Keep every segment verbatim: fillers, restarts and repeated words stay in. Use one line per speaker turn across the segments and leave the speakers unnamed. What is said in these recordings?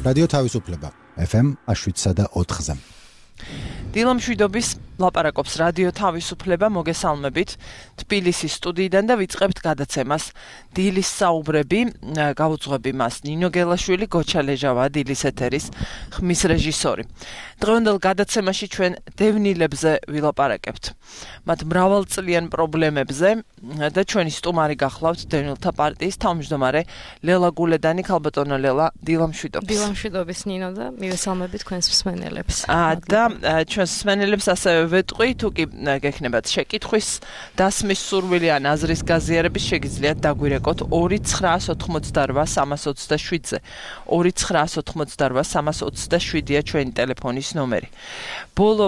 რადიო თავისუფლება ეფ ემ შვიდსა და ოთხზე.
დილამშვიდობის ლაპარაკობს რადიო თავისუფლება, მოგესალმებით თბილისის სტუდიიდან და ვიწყებთ გადაცემას დილის საუბრები. Გავუძღვები მას ნინო გელაშვილი, გოჩა ლეჟავა, დილის ეთერის ხმის რეჟისორი. დღევანდელ გადაცემაში ჩვენ დევნილებზე ვილაპარაკებთ. მათ მრავალწლიან პრობლემებზე და ჩვენი სტუმარი გახლავთ დევნილთა პარტიის თავმჯდომარე ლელა გულედანი. ქალბატონო ლელა, დილამშვიდობის.
დილამშვიდობის ნინო და მივესალმებით თქვენს მსმენელებს.
და ჩვენს მსმენელებს ასევე ვეტყვი, თუ კი გექნებათ შეკითხვის დასმის სურვილი ან აზრის გაზიარების, შეგიძლიათ დაგვირეკოთ ორი ცხრაას ოთხმოცდარვა სამას ოცდაშვიდზე. ორი ცხრაას ოთხმოცდარვა სამას ოცდაშვიდია ჩვენი ტელეფონის ნომერი. ბოლო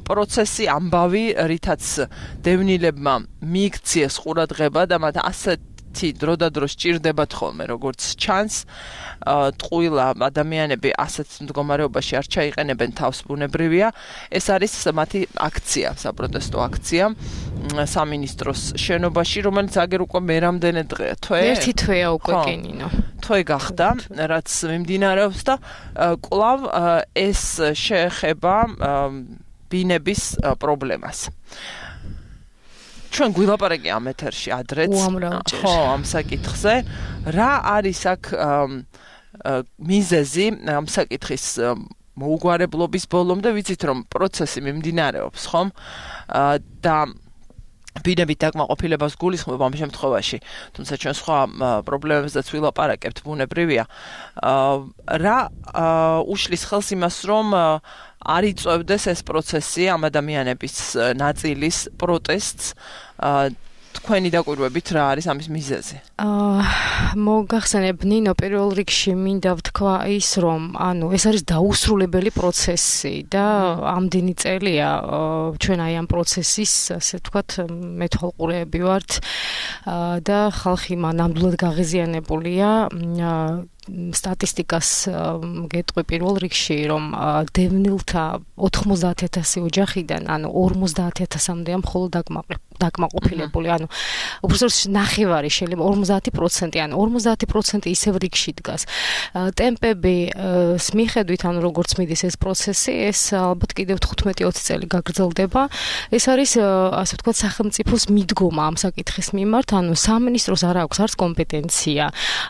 პროცესი ამბავი, რითაც დევნილებმა მიიქციეს ყურადღება და მათ ასეთ დრო და დრო სჭირდებათ ხოლმე, როგორც ჩანს, ტყუილა ადამიანები ასეთ მდგომარეობაში არ ჩაიყენებენ თავს, ბუნებრივია. ეს არის მათი აქცია, საპროტესტო აქცია სამინისტროს შენობაში, რომელიც აგერ უკვე მერამდენე დღეა, თვე?
ერთი თვეა უკვე კი ნინო.
თვე გახდა, რაც მიმდინარეობს და კვლავ ეს შეეხება ბინების პრობლემას. ჩვენ გვილაპარაკი ამ ეთერში ადრეც, ხო, ამ საკითხზე. რა არის აქ მიზეზი ამ საკითხის მოუგვარებლობის ბოლომდე? ვიცით, რომ პროცესი მიმდინარეობს, ხომ? და ბინებით დაკმაყოფილებას გულისხმობ ამ შემთხვევაში, თუმცა ჩვენ სხვა პრობლემებზეც ვილაპარაკებთ, ბუნებრივია. რა უშლის ხელს იმას, რომ არ იწევდეს ეს პროცესი ამ ადამიანების ნაწილის პროტესტს? თქვენი დაკვირვებით რა არის ამის მიზეზი?
აა მოგახსენებ ნინო, პირველ რიგში მინდა ვთქვა ის, რომ ანუ ეს არის დაუსრულებელი პროცესი და ამდენი წელია ჩვენ აი ამ პროცესის, ასე ვთქვათ, მეთვალყურეები ვართ და ხალხი მანამდვილად გაღიზიანებულია. სტატისტიკას გეტყვი პირველ რიგში, რომ დევნილთა ოთხმოცდაათ ათასი ოჯახიდან, ანუ ორმოცდაათ ათასამდეა მხოლოდ დაკმაყოფილებული, ანუ უბრალოდ ნახევარი, შეიძლება ორმოცდაათი პროცენტი, ანუ ორმოცდაათი პროცენტი ისევ რიგში დგას. ტემპების მიხედვით, ანუ როგორც მიდის ეს პროცესი, ეს ალბათ კიდევ თხუთმეტი ოცი წელი გაგრძელდება. ეს არის, ასე ვთქვათ, სახელმწიფოს მიდგომა ამ საკითხის მიმართ, ანუ სამინისტროს არ აქვს არც კომპეტენცია,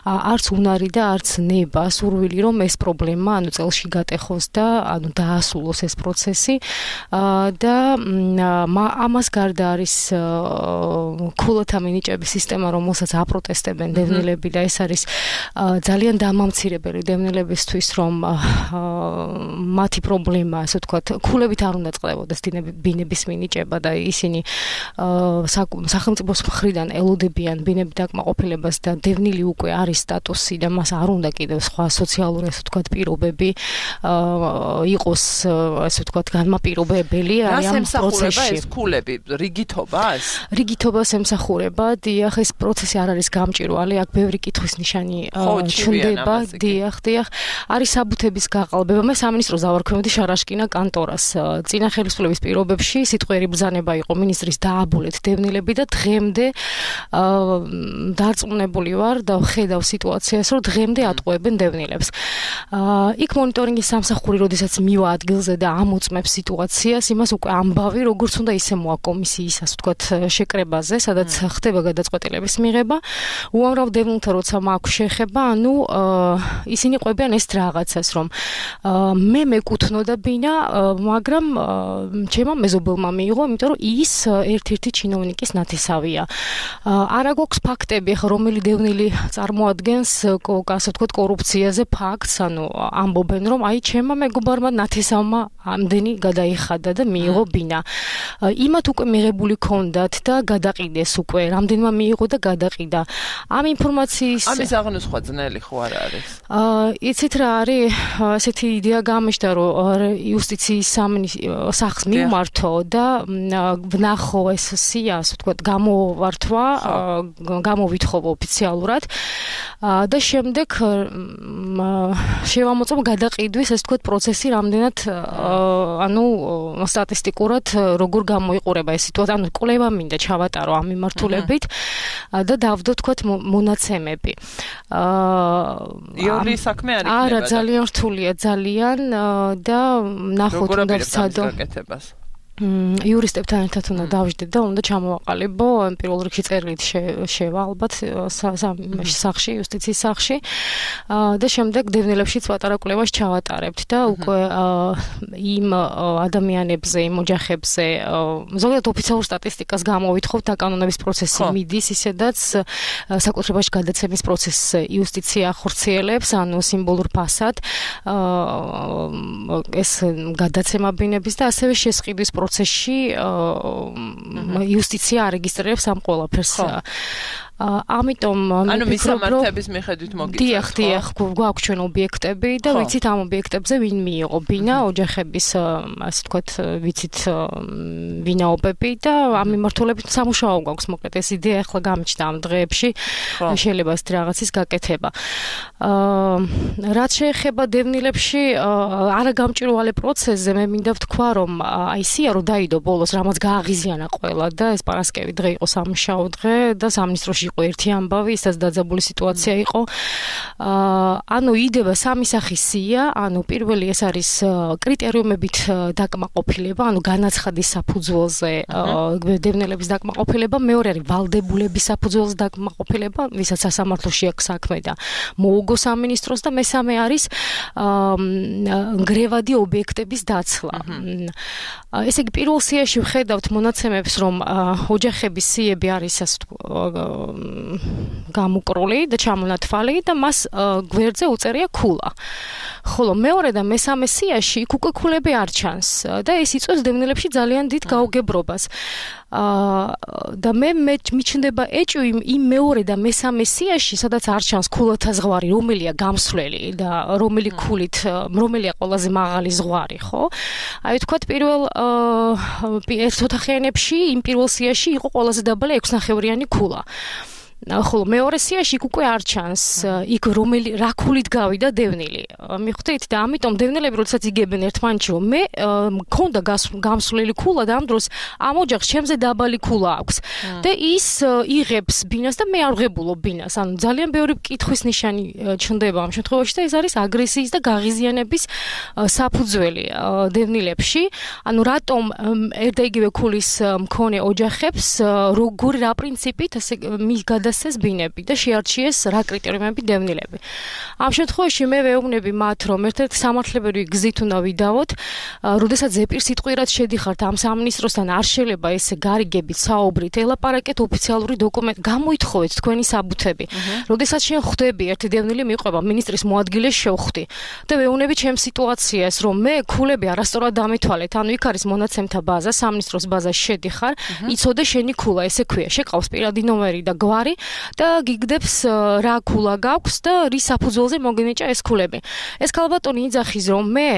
არც უნარი და არც ნება, სურვილი, რომ ეს პრობლემა, ანუ წელში გატეხოს და ანუ დაასრულოს ეს პროცესი. და ამას გარდა არის ქულათა მინიჭების სისტემა, რომელსაც აპროტესტებენ დევნილები და ეს არის ძალიან დამამცირებელი დევნილებისთვის, რომ მათი პრობლემა, ასე ვთქვათ, ქულებით არ უნდა წყდებოდეს ბინების მინიჭება და ისინი სახელმწიფოს მხრიდან ელოდებიან ბინების დაკმაყოფილებას და დევნილი უკვე არის სტატუსი და მას არ უნდა კიდევ სხვა სოციალური, ასე ვთქვათ, პირობები იყოს, ასე ვთქვათ, განმაპირობებელი აი ამ პროცესში.
ეს ქულები რიგითობას?
რიგითობას ემსახურება, დიახ, ეს პროცესი არ არის გამჭვირვალე, აქ ბევრი კითხვის ნიშანი ჩნდება, დიახ, დიახ. არის საბუთების გაყალბება. მე სამინისტროს დავარქვევდი შარაშკინა კანტორას. წინა ხელისუფლების პირობებში სიტყვიერი ბრძანება იყო მინისტრის დააბოლეთ დევნილები და დღემდე დარწმუნებული ვარ და ვხედავ სიტუაციას, რომ დღემდე ატყუებენ დევნილებს. იქ მონიტორინგის სამსახური, როდესაც მივა ადგილზე და ამოწმებს სიტუაციას, იმას უკვე ამბავი, როგორც უნდა ისე მოა კომისიის, ასე ვთქვათ, შეკრებაზე, სადაც ხდება გადაწყვეტილების მიღება. უამრავ დევნილთა როცა მაქვს შეხება, ანუ ისინი ყვებიან ეს რაღაცას, რომ მე მეკუთვნოდა ბინა, მაგრამ ჩემმა მეზობელმა მიიღო, იმიტომ რომ ის ერთ-ერთი ჩინოვნიკის ნათესავია. არა გვაქვს ფაქტები, ხო, რომელი დევნილი წარმოადგენს, ასე ვთქვათ, კორუფციაზე ფაქტს, ანუ ამბობენ, რომ აი ჩემმა მეგობარმა ნათესავმა ამდენი გადაიხადა და მიიღო ბინა. იმათ უკვე მიღებული ქონდათ და გადაყიდეს უკვე, რამდენმა მიიღო და გადაყიდა. ამ ინფორმაციის
ამის აღნოსხვა ძნელი ხო არ არის?
აა იცით რა არის, ასეთი იდეა გამიშდა, რომ იუსტიციის სახლს მიმართო და ვნახო ეს სია, ასე ვთქვათ, გამოვართვა, გამოვითხოვ ოფიციალურად და შემდეგ შევამოწმო გადაყიდვის, ასე ვთქვათ, პროცესი რამდენად ანუ სტატისტიკურად როგორ გამოიყურება ეს სიტუაცია, ანუ კვლევა მინდა ჩავატარო ამ მიმართულებით და დავდო თქვათ მონაცემები.
იური საქმე არ იქნება.
არა, ძალიან რთულია, ძალიან და ნახოთ უნდა ვცადო. იურისტებთან ერთად უნდა დავждდეთ და უნდა ჩამოვაყალიბო პირველ რიგში წერილით შევა ალბათ სახში, იუსტიციის სახში და შემდეგ დევნილებშიც პატარა კვლევას ჩავატარებთ და უკვე იმ ადამიანებზე, იმ ოჯახებზე ზოგადად ოფიციალურ სტატისტიკას გამოვითხოვთ დაკანონების პროცესი მიდის ისედაც საკუთრებაში გადაცემის პროცესს იუსტიცია ახორციელებს, ანუ სიმბოლურ ფასად ეს გადაცემა ბინების და ასევე შესყიდვის პროცესში იუსტიცია არეგისტრირებს ამ ყველაფერს. ამიტომ
ანუ მისამართების მიხედვით მოგიწევთ.
დიახ, დიახ, გვაქვს ჩვენ ობიექტები და ვიცით ამ ობიექტებზე ვინ მიიღო ბინა, ოჯახების ასე ვთქვათ, ვიცით ვინაობები და ამ მიმართულებით სამუშაო გვაქვს, მოკლედ ეს იდეა ახლა გამიჩნდა ამ დღეებში, შეიძლება ეს რაღაცის გაკეთება. რაც შეეხება დევნილებში არაგამჭირვალე პროცესზე, მე მინდა ვთქვა, რომ აი სია რო დაიდო ბოლოს, რამაც გააღიზიანა ყველა და ეს პარასკევი დღე იყო სამუშაო დღე და სამინისტროში იყო ერთი ამბავი, ისაც დაძაბული სიტუაცია იყო. ანუ იდება სამი სახის სია, ანუ პირველი ეს არის კრიტერიუმებით დაკმაყოფილება, ანუ განაცხადის საფუძველზე დევნილების დაკმაყოფილება, მეორე არის ვალდებულების საფუძველზე დაკმაყოფილება, ვისაც სასამართლოში აქვს საქმე და მოუგო სამინისტროს და მესამე არის ნგრევადი ობიექტების დაცლა. ესე იგი პირველ სიაში ვხედავთ მონაცემებს, რომ ოჯახების სიები არის ასე გამუკრული და ჩამონათვალი და მას გვერდზე უწერია ქულა. ხოლო მეორე და მესამე სიაში იქ უკვე ქულები არ ჩანს და ეს იწვევს დევნილებში ძალიან დიდ გაუგებრობას. და მე მიჩნდება ეჭვი იმ მეორე და მესამე სიაში, სადაც არ ჩანს ქულათა ზღვარი, რომელია გამსვლელი და რომელი ქულით, რომელია ყველაზე მაღალი ზღვარი, ხო? აი ვთქვათ პირველ ერთ ოთახიანებში იმ პირველ სიაში იყო ყველაზე დაბალი ექვსნახევრიანი ქულა. ხოლო მეორე სიაში უკვე არ ჩანს იქ რომელი რა ქულით გავიდა დევნილი. მიხვდით და ამიტომ დევნილები როდესაც იგებენ ერთმანეთში რომ მე მქონდა გამსვლელი ქულა და ამ დროს ამ ოჯახს ჩემზე დაბალი ქულა აქვს და ის იღებს ბინას და მე არ ვღებულობ ბინას. ანუ ძალიან ბევრი კითხვის ნიშანი ჩნდება ამ შემთხვევაში და ეს არის აგრესიის და გაღიზიანების საფუძველი დევნილებში. ანუ რატომ ერთ და იგივე ქულის მქონე ოჯახებს როგორი რა პრინციპით ასე მის გადასცეს ბინები და შეარჩიეს რა კრიტერიუმები დევნილები. ამ შემთხვევაში მე ვეუბნები მათ, რომ ერთ-ერთი სამართლებრივი გზით უნდა ვიდავოთ, როდესაც ზეპირსიტყვიერად შედიხართ ამ სამინისტროსთან, არ შეიძლება ესე გარიგებით საუბრით, ელაპარაკეთ ოფიციალური დოკუმენტ, გამოითხოვეთ თქვენი საბუთები. როდესაც შენ ხვდები ერთი დევნილი მიყვება მინისტრის მოადგილეს შევხვდი და ვეუბნები ჩემ სიტუაციას, რომ მე ქულები არასწორად დამეთვალეთ, ანუ იქ არის მონაცემთა ბაზა, სამინისტროს ბაზაში შედიხარ, იცოდე შენი ქულა, ესე ქვია, შეყავს პირადი ნომერი და გვარი და გიგდებს რა ქულა გაქვს და რის საფუძველზე მოგენიჭა ეს ქულები. ეს ქალბატონი იძახის, რომ მე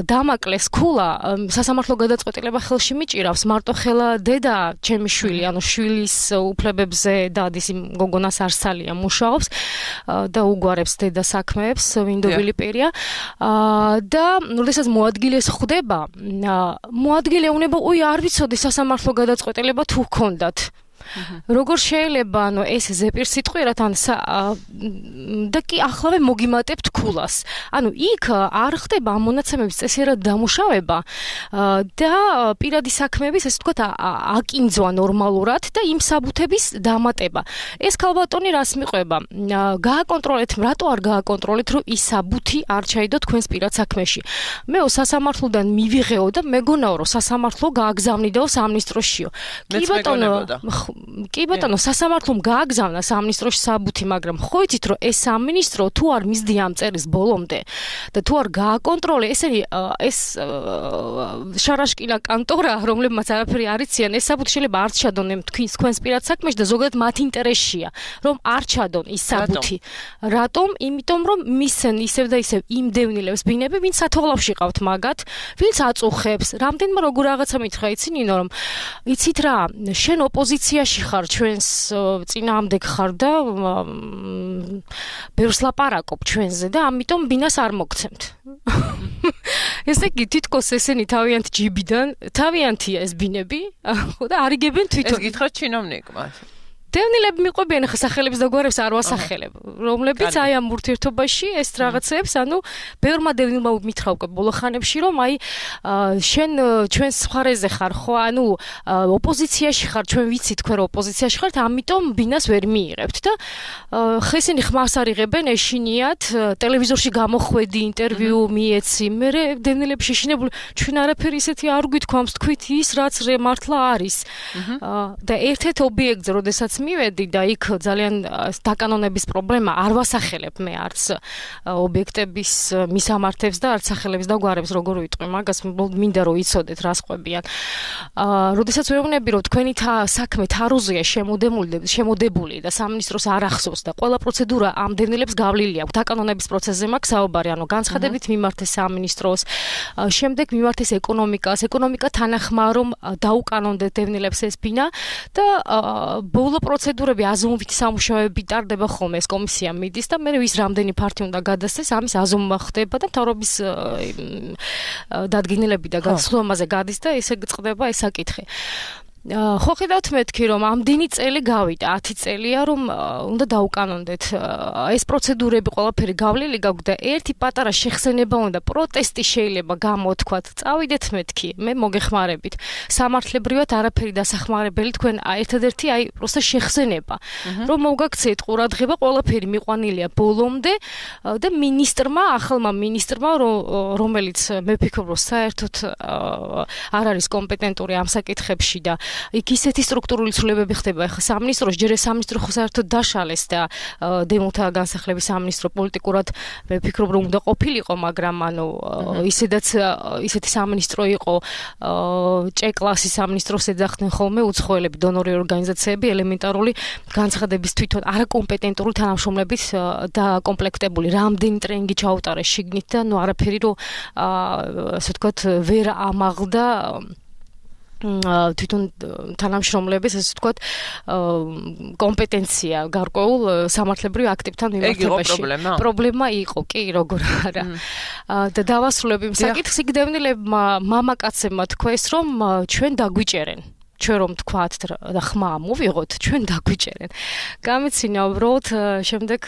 დამაკლეს ქულა, სასამართლო გადაწყვეტილება ხელში მიჭირავს, მარტო ხელა დედა ჩემი შვილი, ანუ შვილის უფლებებზე დადის იმ გოგონას არსალია მუშაობს და უგვარებს დედა საქმეებს, ვინდობილი პირია. და როდესაც მოადგილეს ხვდება, მოადგილე უნება, უი, არ ვიცოდი სასამართლო გადაწყვეტილება თუ ჰქონდათ. როგორ შეიძლება ანუ ეს ზეპირსიტყვიერად ან და კი ახლავე მოგიმატებთ ქულას. ანუ იქ არ ხდება ამ მონაცემების წესიერად დამუშავება და პირადი საქმეების ესე ვთქვათ აკინძვა ნორმალურად და იმ საბუთების დამატება. ეს ქალბატონი რას მიყვება? გააკონტროლეთ, რატო არ გააკონტროლეთ, რომ ის საბუთი არ ჩაიდო თქვენს პირად საქმეში. მეო სასამართლოდან მივიღეო და მეგონაო, რომ სასამართლო გააგზავნიდაო სამინისტროშიო. კი ბატონო, კი ბატონო, სასამართლომ გააგზავნა სამინისტროში საბუთი, მაგრამ ხო იცით, რომ ეს სამინისტრო თუ არ მისდია ამ წერის ბოლომდე და თუ არ გააკონტროლე, ესენი ეს შარაშკინა კანტორა, რომლებმაც არაფერი არ იციან, ეს საბუთი შეიძლება არ ჩადონ თქვენს თქვენს პირად საქმეში და ზოგადად მათ ინტერესშია, რომ არ ჩადონ ის საბუთი. რატომ? იმიტომ რომ მისცენ ისევ და ისევ იმ დევნილებს ბინები, ვინც სათვალავში ყავთ მაგათ, ვინც აწუხებს. რამდენმა როგორ რაღაცა მითხრა, იცი ნინო, რომ იცით რა, შენ ოპოზიციაში ხარ, ჩვენს წინააღმდეგ ხარ და ბევრს ლაპარაკობ ჩვენზე და ამიტომ ბინას არ მოგცემთ. ესე იგი თითქოს ესენი თავიანთ ჯიბიდან, თავიანთია ეს ბინები, ხო და არ იგებენ თვითონ.
ეს გითხრათ ჩინოვნიკმა.
დევნილები მიყვებიან ხა სახელების და გვარებს არ ვასახელებ, რომლებიც აი ამ ურთიერთობაში ეს რაღაცებს, ანუ ბევრმა დევნილმა მითხრა უკვე ბოლო ხანებში, რომ აი შენ ჩვენს მხარეზე ხარ ხო, ანუ ოპოზიციაში ხარ, ჩვენ ვიცით თქვენ რომ ოპოზიციაში ხართ, ამიტომ ბინას ვერ მიიღებთ და ხა ისინი ხმას არიღებენ ეშინიათ, ტელევიზორში გამოხვედი, ინტერვიუ მიეცი, მე დევნილები შეშინებული, ჩვენ არაფერი ისეთი არ გვითქვამს, თქვით ის რაც მართლა არის. და ერთ-ერთ ობიექტზე, როდესაც მივედი და იქ ძალიან დაკანონების პრობლემა არ ვასახელებ მე არც ობიექტების მისამართებს და არც სახელებს და გვარებს როგორ ვიტყვი მაგას მინდა რომ იცოდეთ რა სყვებიან. აა როდესაც ვეუბნები რომ თქვენი საქმე თარუზია შემოდებული შემოდებული და სამინისტროს არ ახსოვს და ყველა პროცედურა ამ დევნილებს გავლილი აქვს დაკანონების პროცესზე მაქვს საუბარი, ანუ განცხადებით მიმართეს სამინისტროს, შემდეგ მიმართეს ეკონომიკას, ეკონომიკა თანახმაა რომ დაუკანონდეთ დევნილებს ეს ბინა და ბოლო პროცედურები აზომვითი სამუშაოები ტარდება ხოლმე ეს კომისია მიდის და მე ვის რამდენი ფართი უნდა გადასცეს ამის აზომა ხდება და მთავრობის დადგენილები და განსხვავებაზე გადის და ესე გწყდება ეს საკითხი. ხო ხედავთ მეთქი რომ ამდენი წელი გავიდა, ათი წელია რომ უნდა დაუკანონდეთ ეს პროცედურები ყველაფერი გავლილი გაქვს და ერთი პატარა შეხსენება უნდა პროტესტი შეიძლება გამოთქვათ. წავიდეთ მეთქი, მე მოგეხმარებით. სამართლებრივად არაფერი დასახმარებელი თქვენ ერთადერთი აი პროსტა შეხსენება. რომ მოგაქცეთ ყურადღება, ყველაფერი მიყვანილია ბოლომდე და მინისტრმა, ახალმა მინისტრმა, რომელიც მე ვფიქრობ რომ საერთოდ არ არის კომპეტენტური ამ საკითხებში და იქ ისეთი სტრუქტურული ცვლილებები ხდება, ახლა სამინისტროს ჯერ სამინისტრო ხო საერთოდ დაშალეს და დემოთა განსახლების სამინისტრო პოლიტიკურად მე ვფიქრობ რომ უნდა ყოფილიყო, მაგრამ ანუ ისედაც ისეთი სამინისტრო იყო ჭე-კლასის სამინისტროს ეძახდნენ ხოლმე უცხოელები, დონორი ორგანიზაციები, ელემენტარული განცხადების თვითონ არაკომპეტენტური თანამშრომლებით დაკომპლექტებული, რამდენი ტრენინგი ჩაუტარეს შიგნით და ნუ არაფერი რომ ასე ვთქვათ ვერ ამაღლდა თვითონ თანამშრომლების ასე ვთქვათ კომპეტენცია გარკვეულ სამართლებრივ აქტებთან მიმართებაში. პრობლემა იყო, კი, როგორ არა. და დავასრულებ იმ საკითხს, იქ დევნილებმა მამაკაცებმა თქვეს, რომ ჩვენ დაგვიჭერენ. ჩვენ რომ თქვათ და ხმა მოვიღოთ, ჩვენ დაგვიჭერენ. გამიცინა უბრალოდ შემდეგ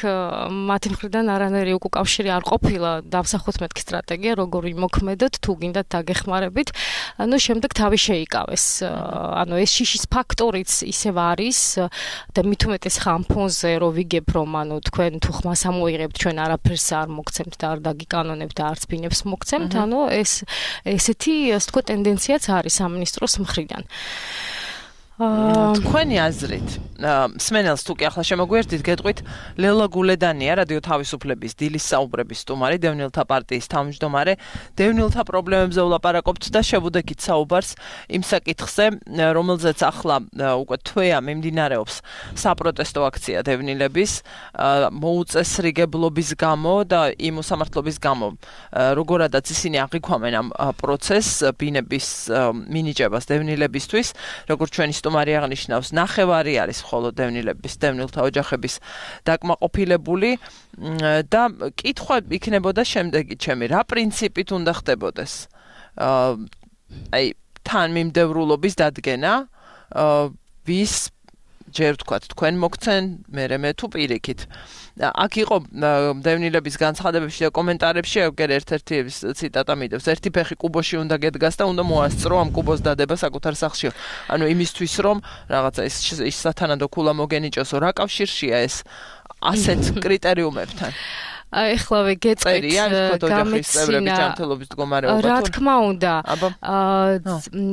მათი მხრიდან არანაირი უკავშირი არ ყოფილა დავსახოთ მეთქი სტრატეგია, როგორ იმოქმედოთ, თუ გინდათ დაგეხმარებით. ანუ შემდეგ თავი შეიკავეს. ანუ ეს შიშის ფაქტორიც ისევ არის და მით უმეტეს ხამ ფონზე რომ ვიგებ რომ ანუ თქვენ თუ ხმას ამოიღებთ, ჩვენ არაფერს არ მოგცემთ და არ დაგიკანონებთ და არც ბინებს მოგცემთ. ანუ ეს ესეთი ასე თქვა ტენდენციაც არის სამინისტროს მხრიდან.
თქვენი აზრით სმენელს თუ კი ახლა შემოგვიერთდით, გეტყვით ლელა გულედანია, რადიო თავისუფლების დილის საუბრების სტუმარი, დევნილთა პარტიის თავმჯდომარე, დევნილთა პრობლემებზე ვლაპარაკობთ და შევუდექით საუბარს იმ საკითხზე, რომელზეც ახლა უკვე თვეა მიმდინარეობს საპროტესტო აქცია დევნილების მოუწესრიგებლობის გამო და იმ უსამართლობის გამო, როგორადაც ისინი აღიქვამენ ამ პროცესს ბინების მინიჭებას დევნილებისთვის, როგორც ჩვენი სტუმარი აღნიშნავს, ნახევარი არის მხოლოდ დევნილების, დევნილთა ოჯახების დაკმაყოფილებული და კითხვა იქნებოდა შემდეგი ჩემი, რა პრინციპით უნდა ხდებოდეს აი თან მიმდევრულობის დადგენა, ვის ჯერ ვთქვათ თქვენ მოგცენ, მერე მე თუ პირიქით. აქ იყო დევნილების განცხადებებში და კომენტარებში ეგერ ერთ-ერთი ციტატა მიდევს, ერთი ფეხი კუბოში უნდა გედგას და უნდა მოასწრო ამ კუბოს დადება საკუთარ სახლში. ანუ იმისთვის რომ რაღაცა ის ის სათანადო ქულა მოგენიჭოსო, რა კავშირშია ეს ასეთ კრიტერიუმებთან?
ეხლავე გეტყვით გამეცინა რა თქმა უნდა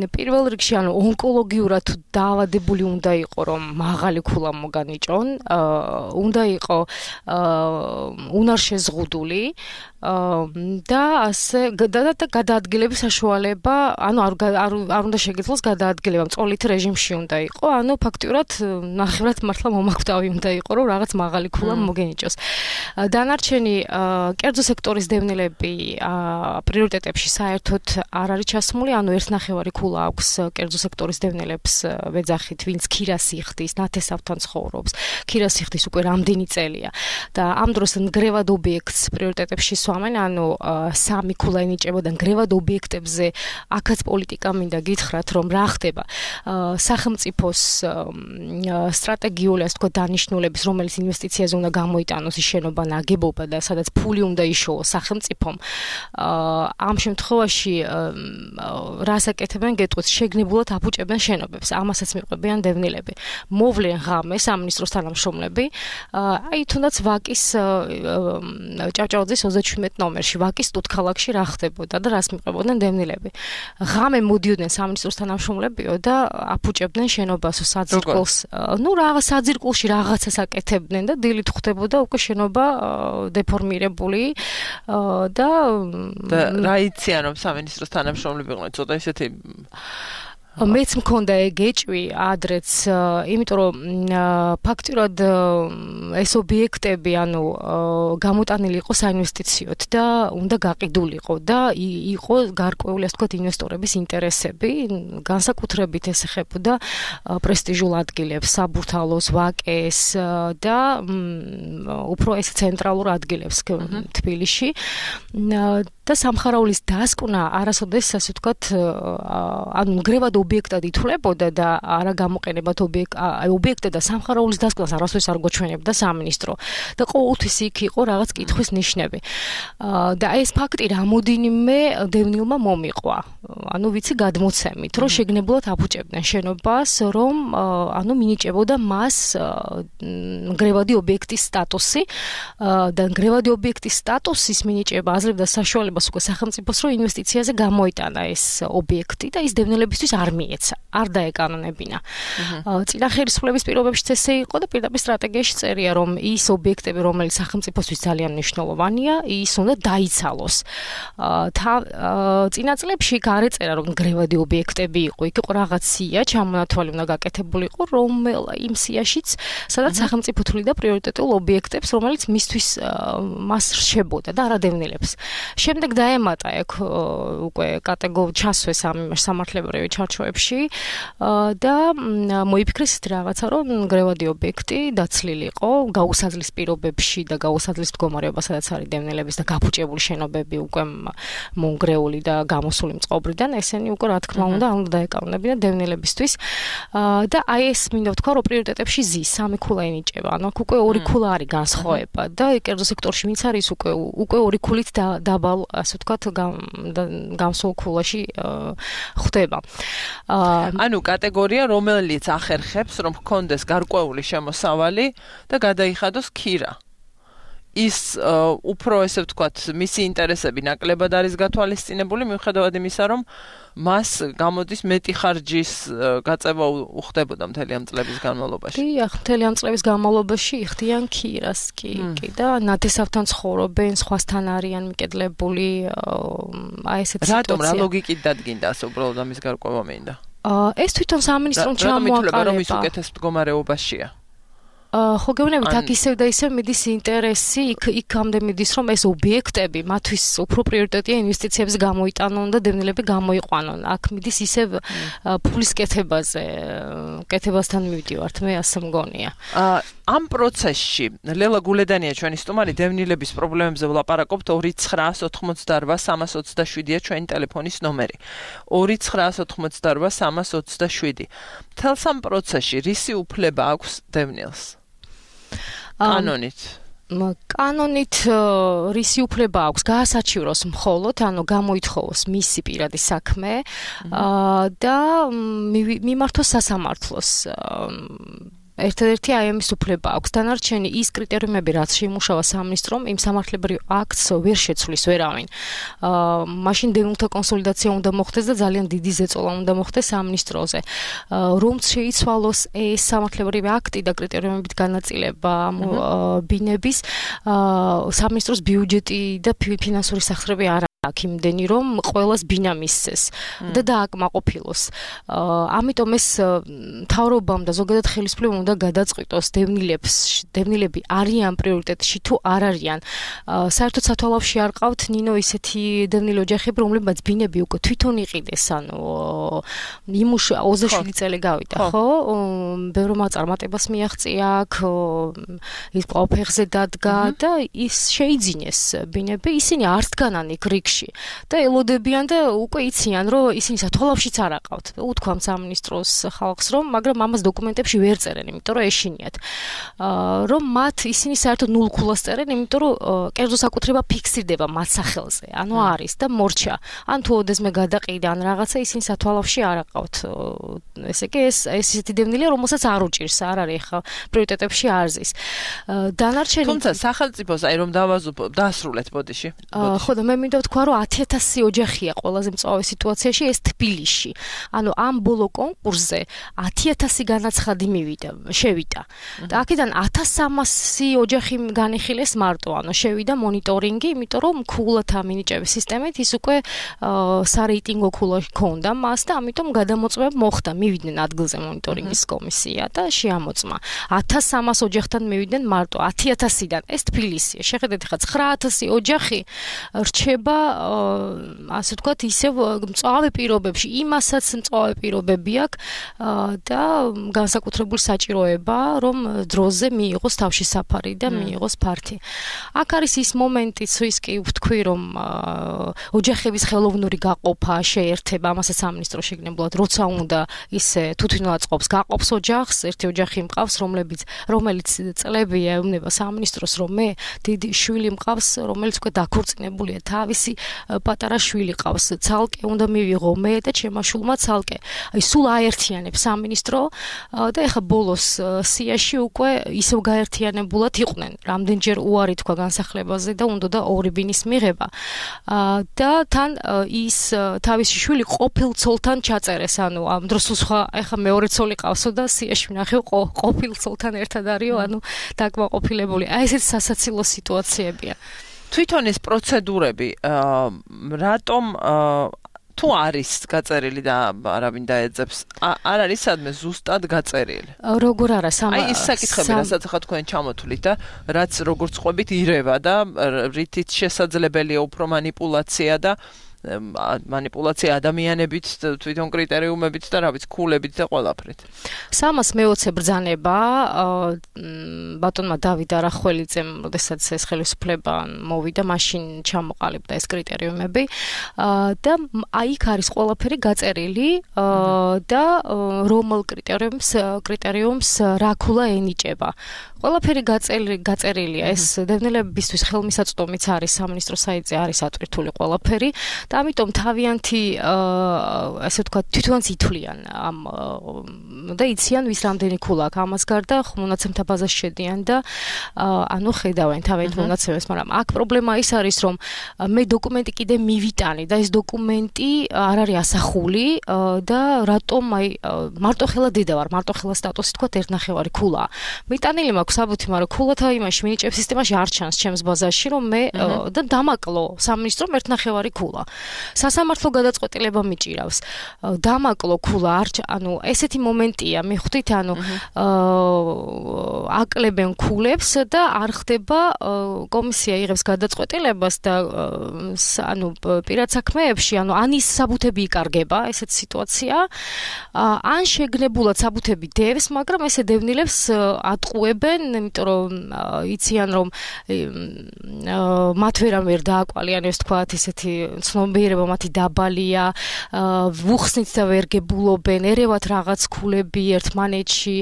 პირველ რიგში ანუ ონკოლოგიურად დაავადებული უნდა იყო რომ მაღალი ქულა მოგანიჭონ, უნდა იყო უნარშეზღუდული და ასე გადაადგილების საშუალება, ანუ არ არ უნდა შეგეძლოს გადაადგილება, მწოლით რეჟიმში უნდა იყო, ანუ ფაქტიურად ნახევრად მართლა მომაკვდავი უნდა იყო რომ რაღაც მაღალი ქულა მოგენიჭოს. დანარჩენი დანარჩენი კერძო სექტორის დევნილები პრიორიტეტებში საერთოდ არ არის ჩასმული, ანუ ერთ ნახევარი ქულა აქვს კერძო სექტორის დევნილებს ვეძახით, ვინც ქირას იხდის, ნათესავთან ცხოვრობს. ქირას იხდის უკვე რამდენი წელია და ამ დროს ნგრევად ობიექტს პრიორიტეტებში სვამენ, ანუ სამი ქულა ენიჭებოდა ნგრევად ობიექტებზე, აქაც პოლიტიკა მინდა გითხრათ, რომ რა ხდება სახელმწიფოს სტრატეგიული, ასე ვთქვათ, დანიშნულების, რომელიც ინვესტიციაზე უნდა გამოიტანოს ის შენობა ნაგებობა და სადაც ფული უნდა იშოვოს სახელმწიფომ. ამ შემთხვევაში რას აკეთებენ, გეტყვით, შეგნებულად აფუჭებენ შენობებს. ამასაც მიყვებიან დევნილები. მოვლენ ღამე სამინისტროს თანამშრომლები, აი თუნდაც ვაკის ჭავჭავაძის ოცდაშვიდმეტ ნომერში, ვაკის ტუტქალაქში რა ხდებოდა და რას მიყვებოდნენ დევნილები. ღამე მოდიოდნენ სამინისტროს თანამშრომლებიო და აფუჭებდნენ შენობას საძირკველს. ნუ რაღაც საძირკველში რაღაცას აკეთებდნენ და დილით ხვდებოდა უკვე შენობა დეფორმირებული და
და რა იციან რომ სამინისტროს თანამშრომლები იყვნენ, ცოტა ისეთი
მეც მქონდა ეგეჭვი ადრეც, იმიტომ რომ ფაქტურად ეს ობიექტები, ანუ გამოტანილი იყო საინვესტიციოდ და უნდა გაყიდულიყო და იყო გარკვეული, ასე ვთქვათ, ინვესტორების ინტერესები, განსაკუთრებით ეს ეხებოდა პრესტიჟულ ადგილებს, საბურთალოს, ვაკეს და უფრო ეს ცენტრალურ ადგილებს თბილისში. და სამხარაულის დასკვნა არასოდეს, ასე ვთქვათ, ანუ ნგრევად ობიექტად ითვლებოდა და არა გამოყენებად ობიექტად და სამხარაულის დასკვნას არასოდეს არ გვაჩვენებდა სამინისტრო და ყოველთვის იქ იყო რაღაც კითხვის ნიშნები. და ეს ფაქტი რამოდენიმე დევნილმა მომიყვა. ანუ ვიცი გადმოცემით, რომ შეგნებულად აფუჭებდნენ შენობას, რომ ანუ მინიჭებოდა მას ნგრევადი ობიექტის სტატუსი და ნგრევადი ობიექტის სტატუსის მინიჭება აძლევდა საშუალებას უკვე სახელმწიფოს, რომ ინვესტიციაზე გამოიტანა ეს ობიექტი და ის დევნილებისთვის არ მიეცა, არ დაეკანონებინა. წინა ხელისუფლების პირობებშიც ესე იყო და პირდაპირ სტრატეგიაში წერია, რომ ის ობიექტები, რომელიც სახელმწიფოსთვის ძალიან მნიშვნელოვანია, ის უნდა დაიცალოს. წინა წლებში იქ არ ეწერა, რომ ნგრევადი ობიექტები იყო, იქ იყო რაღაც სია, ჩამონათვალი უნდა გაკეთებული იყო, რომელ იმ სიაშიც, სადაც სახელმწიფო თვლიდა პრიორიტეტულ ობიექტებს, რომელიც მისთვის მას რჩებოდა და არა დევნილებს. შემდეგ დაემატა ეგ უკვე კატეგორიულად ჩასვეს ამ სამართლებრივი ჩარჩოებში და მოიფიქრეს ის რაღაცა, რომ ნგრევადი ობიექტი დაცლილი იყო გაუსაძლის პირობებში და გაუსაძლის მდგომარეობა, სადაც არის დევნილების და გაფუჭებული შენობები უკვე მონგრეული და გამოსული მწყობრიდან, ესენი უკვე რა თქმა უნდა უნდა დაეკანონებინა დევნილებისთვის და აი ეს მინდა ვთქვა, რომ პრიორიტეტებში ზის სამი ქულა ენიჭება, ანუ აქ უკვე ორი ქულა არის განსხვავება და კერძო სექტორში ვინც არის უკვე უკვე ორი ქულით დაბალ, ასე ვთქვათ, გამსულ ქულაში ხდება.
ანუ კატეგორია, რომელიც ახერხებს, რომ ჰქონდეს გარკვეული შემოსავალი და გადაიხადოს ქირა. ის უფრო, ესე ვთქვათ, მისი ინტერესები ნაკლებად არის გათვალისწინებული, მიუხედავად იმისა, რომ მას გამოდის მეტი ხარჯის გაწევა უხდებოდა მთელი ამ წლების განმავლობაში.
დიახ, მთელი ამ წლების განმავლობაში იხდიან ქირას კი, კი და ნათესავთან ცხოვრობენ, სხვასთან არიან მიკედლებული, აი ესეთი სიტუაცია.
რატომ რა ლოგიკით დადგინდა ასე უბრალოდ ამის გარკვევა მინდა?
ეს თვითონ სამინისტრომ ჩამოაყალიბა.
რომ ის უკეთეს მდგომარეობაშია.
ხო გეუბნებით, აქ ისევ და ისევ მიდის ინტერესი, იქ იქამდე მიდის, რომ ეს ობიექტები მათთვის უფრო პრიორიტეტია ინვესტიციების გამოიტანონ და დევნილები გამოიყვანონ. აქ მიდის ისევ ფულის კეთებაზე, კეთებასთან მივდივართ, მე ასე მგონია.
ამ პროცესში ლელა გულედანია ჩვენი სტუმარი, დევნილების პრობლემებზე ვლაპარაკობთ. ორი ცხრაას ოთხმოცდარვა სამას ოცდაშვიდია ჩვენი ტელეფონის ნომერი. ორი ცხრაას ოთხმოცდარვა სამას ოცდაშვიდი. მთელს ამ პროცესში რისი უფლება აქვს დევნილს? კანონით.
კანონით რისი უფლება აქვს? გაასაჩივროს მხოლოდ, ანუ გამოითხოვოს მისი პირადი საქმე და მიმართოს სასამართლოს. ერთადერთი აი ამის უფლება აქვს. დანარჩენი ის კრიტერიუმები, რაც შეიმუშავა სამინისტრომ, იმ სამართლებრივ აქტს ვერ შეცვლის ვერავინ. აა მაშინ დევნილთა კონსოლიდაცია უნდა მოხდეს და ძალიან დიდი ზეწოლა უნდა მოხდეს სამინისტროზე. რომ შეიცვალოს ეს სამართლებრივი აქტი და კრიტერიუმებით განაწილება ბინების, აა სამინისტროს ბიუჯეტი და ფინანსური სახსრები არ აქ იმდენი რომ ყველას ბინა მისცეს და დააკმაყოფილოს. ამიტომ ეს მთავრობამ და ზოგადად ხელისუფლებამ უნდა გადაწყვიტოს დევნილებს, დევნილები არიან პრიორიტეტში თუ არ არიან. საერთოდ სათვალავში არ ყავთ ნინო ისეთი დევნილი ოჯახები, რომლებმაც ბინები უკვე თვითონ იყიდეს, ანუ იმუშ ოცდაშვიდი წელი გავიდა, ხო? ბევრმა წარმატებას მიაღწია აქ, ის ყველაფერზე დადგა და ის შეიძინეს ბინები, ისინი არ დგანან იქ რიგში და ელოდებიან და უკვე იციან, რომ ისინი სათვალავშიც არ აყავთ. უთქვამ სამინისტროს ხალხს, რომ მაგრამ ამას დოკუმენტებში ვერ წერენ, იმიტომ რომ ეშინიათ. რომ მათ ისინი საერთოდ ნულ ქულას წერენ, იმიტომ რომ კერძო საკუთრება ფიქსირდება მათ სახელზე. ანუ არის და მორჩა. ან თუ ოდესმე გადაყიდა ან რაღაცა ისინი სათვალავში არ აყავთ. ესე იგი ეს ეს ისეთი დევნილია, რომელსაც არ უჭირს, არ არის ხა პრიორიტეტებში არ ზის. დანარჩენი
თუმცა სახელმწიფოს აი რომ დავაზუსტო დასრულეთ ბოდიში.
ხო და მე მინდა ვთქვა, რომ ათი ათასი ოჯახია ყველაზე მწვავე სიტუაციაში ეს თბილისში. ანუ ამ ბოლო კონკურსზე ათი ათასი განაცხადი მივიდა, შევიდა. და აქედან ათას სამასი ოჯახი განიხილეს მარტო, ანუ შევიდა მონიტორინგი, იმიტომ რომ ქულათა მინიჭების სისტემით ის უკვე სარეიტინგო ქულა ჰქონდა მას და ამიტომ გადამოწმება მოხდა, მივიდნენ ადგილზე მონიტორინგის კომისია და შეამოწმა. ათას სამას ოჯახთან მივიდნენ მარტო ათი ათასიდან. ეს თბილისია. შეხედეთ ხა ცხრა ათასი ოჯახი რჩება ასე ვთქვათ, ისევ მწვავე პირობებში, იმასაც მწვავე პირობები აქვს და განსაკუთრებული საჭიროება, რომ დროზე მიიღოს თავში საფარი და მიიღოს ფართი. აქ არის ის მომენტიც, ის კი ვთქვი, რომ ოჯახების ხელოვნური გაყოფა, შეერთება, ამასაც სამინისტრო შეგნებულად, როცა უნდა ისე თვითონ აწყობს, გაყოფს ოჯახს, ერთი ოჯახი მყავს, რომლებიც რომელიც წლები ეუბნება სამინისტროს, რომ მე დიდი შვილი მყავს, რომელიც უკვე დაქორწინებულია, თავისი პატარა შვილი ყავს, ცალკე უნდა მივიღო მე და ჩემმა შვილმა ცალკე. აი სულ აერთიანებს სამინისტრო და ეხა ბოლოს სიაში უკვე ისევ გაერთიანებულად იყვნენ. რამდენჯერ უარი თქვა განსახლებაზე და უნდა და ორი ბინის მიღება. და თან ის თავისი შვილი ყოფილ ცოლთან ჩაწერეს, ანუ ამ დროს სხვა ეხა მეორე ცოლი ყავსო და სიაში ვნახე ყოფილ ცოლთან ერთად არისო, ანუ დაკმაყოფილებული. აი ესეც სასაცილო სიტუაციებია.
თვითონ ეს პროცედურები რატომ თუ არის გაწერილი და არავინ დაეძებს, არ არის სადმე ზუსტად გაწერილი.
როგორ არა სამ
აი ის საკითხები, რასაც ახლა თქვენ ჩამოთვლით და რაც როგორც ყვებით ირევა და რითიც შესაძლებელია უფრო манипуляცია და манипуляცია ადამიანებით, თვითონ კრიტერიუმებით და რა ვიცი, ქულებით და ყველაფრით.
სამას მეოცე ბრძანება ბატონმა დავით არახველიძემ, როდესაც ეს ხელისუფლება მოვიდა, მაშინ ჩამოყალიბდა ეს კრიტერიუმები და აი იქ არის ყველაფერი გაწერილი და რომელ კრიტერიუმს კრიტერიუმს რა ქულა ენიჭება. ყველაფერი გაწერილია, ეს დევნილებისთვის ხელმისაწვდომიც არის სამინისტრო საიტზე, არის ატვირთული ყველაფერი და ამიტომ თავიანთი ასე ვთქვათ, თვითონაც ითვლიან ამ და იციან ვის რამდენი ქულა აქვს. ამას გარდა მონაცემთა ბაზაში შედიან და ანუ ხედავენ თავიანთ მონაცემებს, მაგრამ აქ პრობლემა ის არის, რომ მე დოკუმენტი კიდე მივიტანი და ეს დოკუმენტი არ არის ასახული და რატომ აი მარტო ხელა დედა ვარ, მარტო ხელა სტატუსი თქვათ ერთნახევარი ქულა. მიტანილი მაქვს საბუთი, მაგრამ ქულათა იმაში მინიჭების სისტემაში არ ჩანს ჩემს ბაზაში, რომ მე და დამაკლო სამინისტრომ ერთნახევარი ქულა. სასამართლო გადაწყვეტილება მიჭირავს. დამაკლო ქულა არ ანუ ესეთი მომენტია, მიხვდით, ანუ აკლებენ ქულებს და არ ხდება კომისია იღებს გადაწყვეტილებას და ანუ პირად საქმეებში, ანუ ან ის საბუთები იკარგება, ესეთი სიტუაცია, ან შეგნებულად საბუთები დევს, მაგრამ ესე დევნილებს ატყუებენ, იმიტომ რომ იციან რომ მათ ვერამ ვერ დააკვალიანებს, თქვათ, ესეთი ცნობიერება მათი დაბალია, ვუხსნით და ვერ გებულობენ, ერევათ რაღაც ქულები ერთმანეთში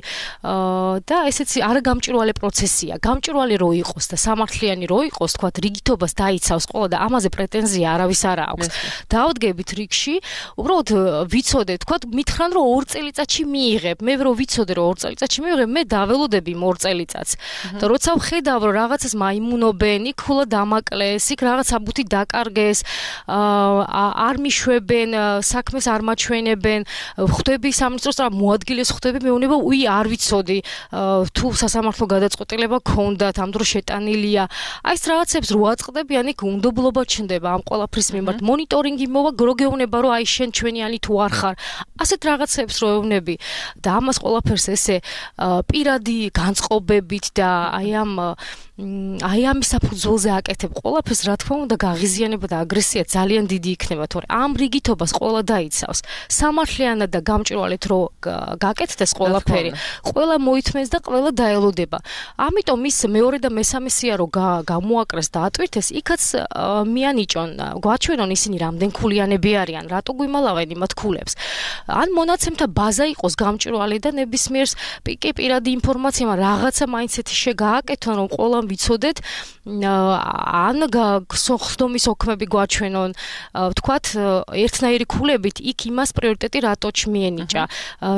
და ესეც არა გამჭვირვალე პროცესია. გამჭვირვალე რო იყოს და სამართლიანი რო იყოს, თქვათ, რიგითობას დაიცავს ყველა და ამაზე პრეტენზია არავის არ აქვს. დავდგებით რიგში, უბრალოდ ვიცოდე, თქვათ, მითხრან რომ ორ წელიწადში მიიღებ. მე რო ვიცოდე რომ ორ წელიწადში მიიღებ, მე დაველოდები ორ წელიწადს. და როცა ვხედავ რომ რაღაცას მაიმუნობენ, იქ ქულა დამაკლეს, იქ რაღაც საბუთი დაკარგეს, არ მიშვებენ, საქმეს არ მაჩვენებენ, ხვდები სამინისტროს და მოადგილეს ხვდები, მეუბნება, უი არ ვიცოდი, თუ სასამართლო გადაწყვეტილება გქონდათ, ამ დროს შეტანილია. აი ეს რაღაცებს რო აწყდებიან, იქ უნდობლობა ჩნდება ამ ყველაფრის მიმართ. მონიტორინგი მოვა, რო გეუბნება, რომ აი შენ ჩვენიანი თუ არ ხარ. ასეთ რაღაცებს რო ეუბნები და ამას ყველაფერს ესე პირადი განწყობებით და აი ამ აი ამის საფუძველზე აკეთებ ყველაფერს, რა თქმა უნდა, გაღიზიანება და აგრესია ძალიან დიდი იქნება, თორე ამ რიგითობას ყველა დაიცავს. სამართლიანად და გამჭვირვალედ რო გაკეთდეს ყველაფერი, ყველა მოითმენს და ყველა დაელოდება. ამიტომ ის მეორე და მესამე სია რო გამოაკრეს და ატვირთეს, იქაც მიანიჭონ, გვაჩვენონ ისინი რამდენ ქულიანები არიან, რატო გვიმალავენ იმათ ქულებს. ან მონაცემთა ბაზა იყოს გამჭვირვალე და ნებისმიერს პიკე პირადი ინფორმაცია, რაღაცა მაინც ეთი შეგააკეთონ, რომ ყველა ვიცოდეთ, ან ხსდომის ოქმები გვაჩვენონ, ვთქვათ, ერთნაირი ქულებით იქ იმას პრიორიტეტი რატო ჩმიენიჭა,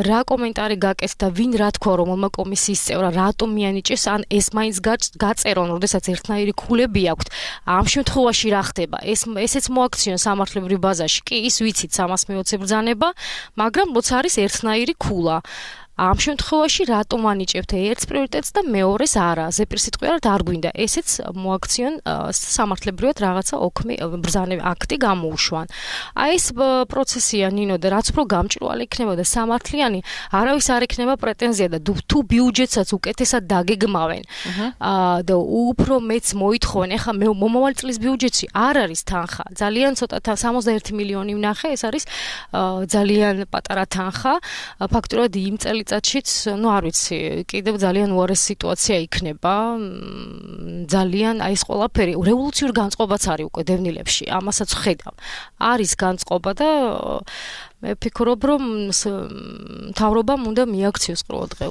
რა კომენტარი გაკეთდა, ვინ რა თქვა, რომელმა კომისიის წევრა რატო მიანიჭეს, ან ეს მაინც გაწერონ, როდესაც ერთნაირი ქულები აქვთ. ამ შემთხვევაში რა ხდება? ეს ესეც მოაქციონ სამართლებრივ ბაზაში. კი, ის ვიცით სამას მეოცე ბრძანება, მაგრამ როცა არის ერთნაირი ქულა. ამ შემთხვევაში რატომ ანიჭებთ ერთს პრიორიტეტს და მეორეს არა? ზეპირსიტყვიერად არ გვინდა. ესეც მოაქციონ სამართლებრივად რაღაცა ოქმი ბრძანები აქტი გამოუშვან. აი ეს პროცესია ნინო და რაც უფრო გამჭვირვალე იქნება და სამართლიანი, არავის არ ექნება პრეტენზია და თუ ბიუჯეტსაც უკეთესად დაგეგმავენ და უფრო მეც მოითხოვენ. ეხლა მომავალი წლის ბიუჯეტში არ არის თანხა. ძალიან ცოტა სამოცდაერთი მილიონი ვნახე, ეს არის ძალიან პატარა თანხა. ფაქტურად იმ წელი წათშიც, ну არ ვიცი, კიდევ ძალიან უარესი სიტუაცია იქნება. ძალიან აი ეს ყველაფერი რევოლუციურ განწყობაც არის უკვე დევნილებში. ამასაც ხედავ. არის განწყობა და მე ვფიქრობ, რომ მთავრობამ უნდა მიაქციოს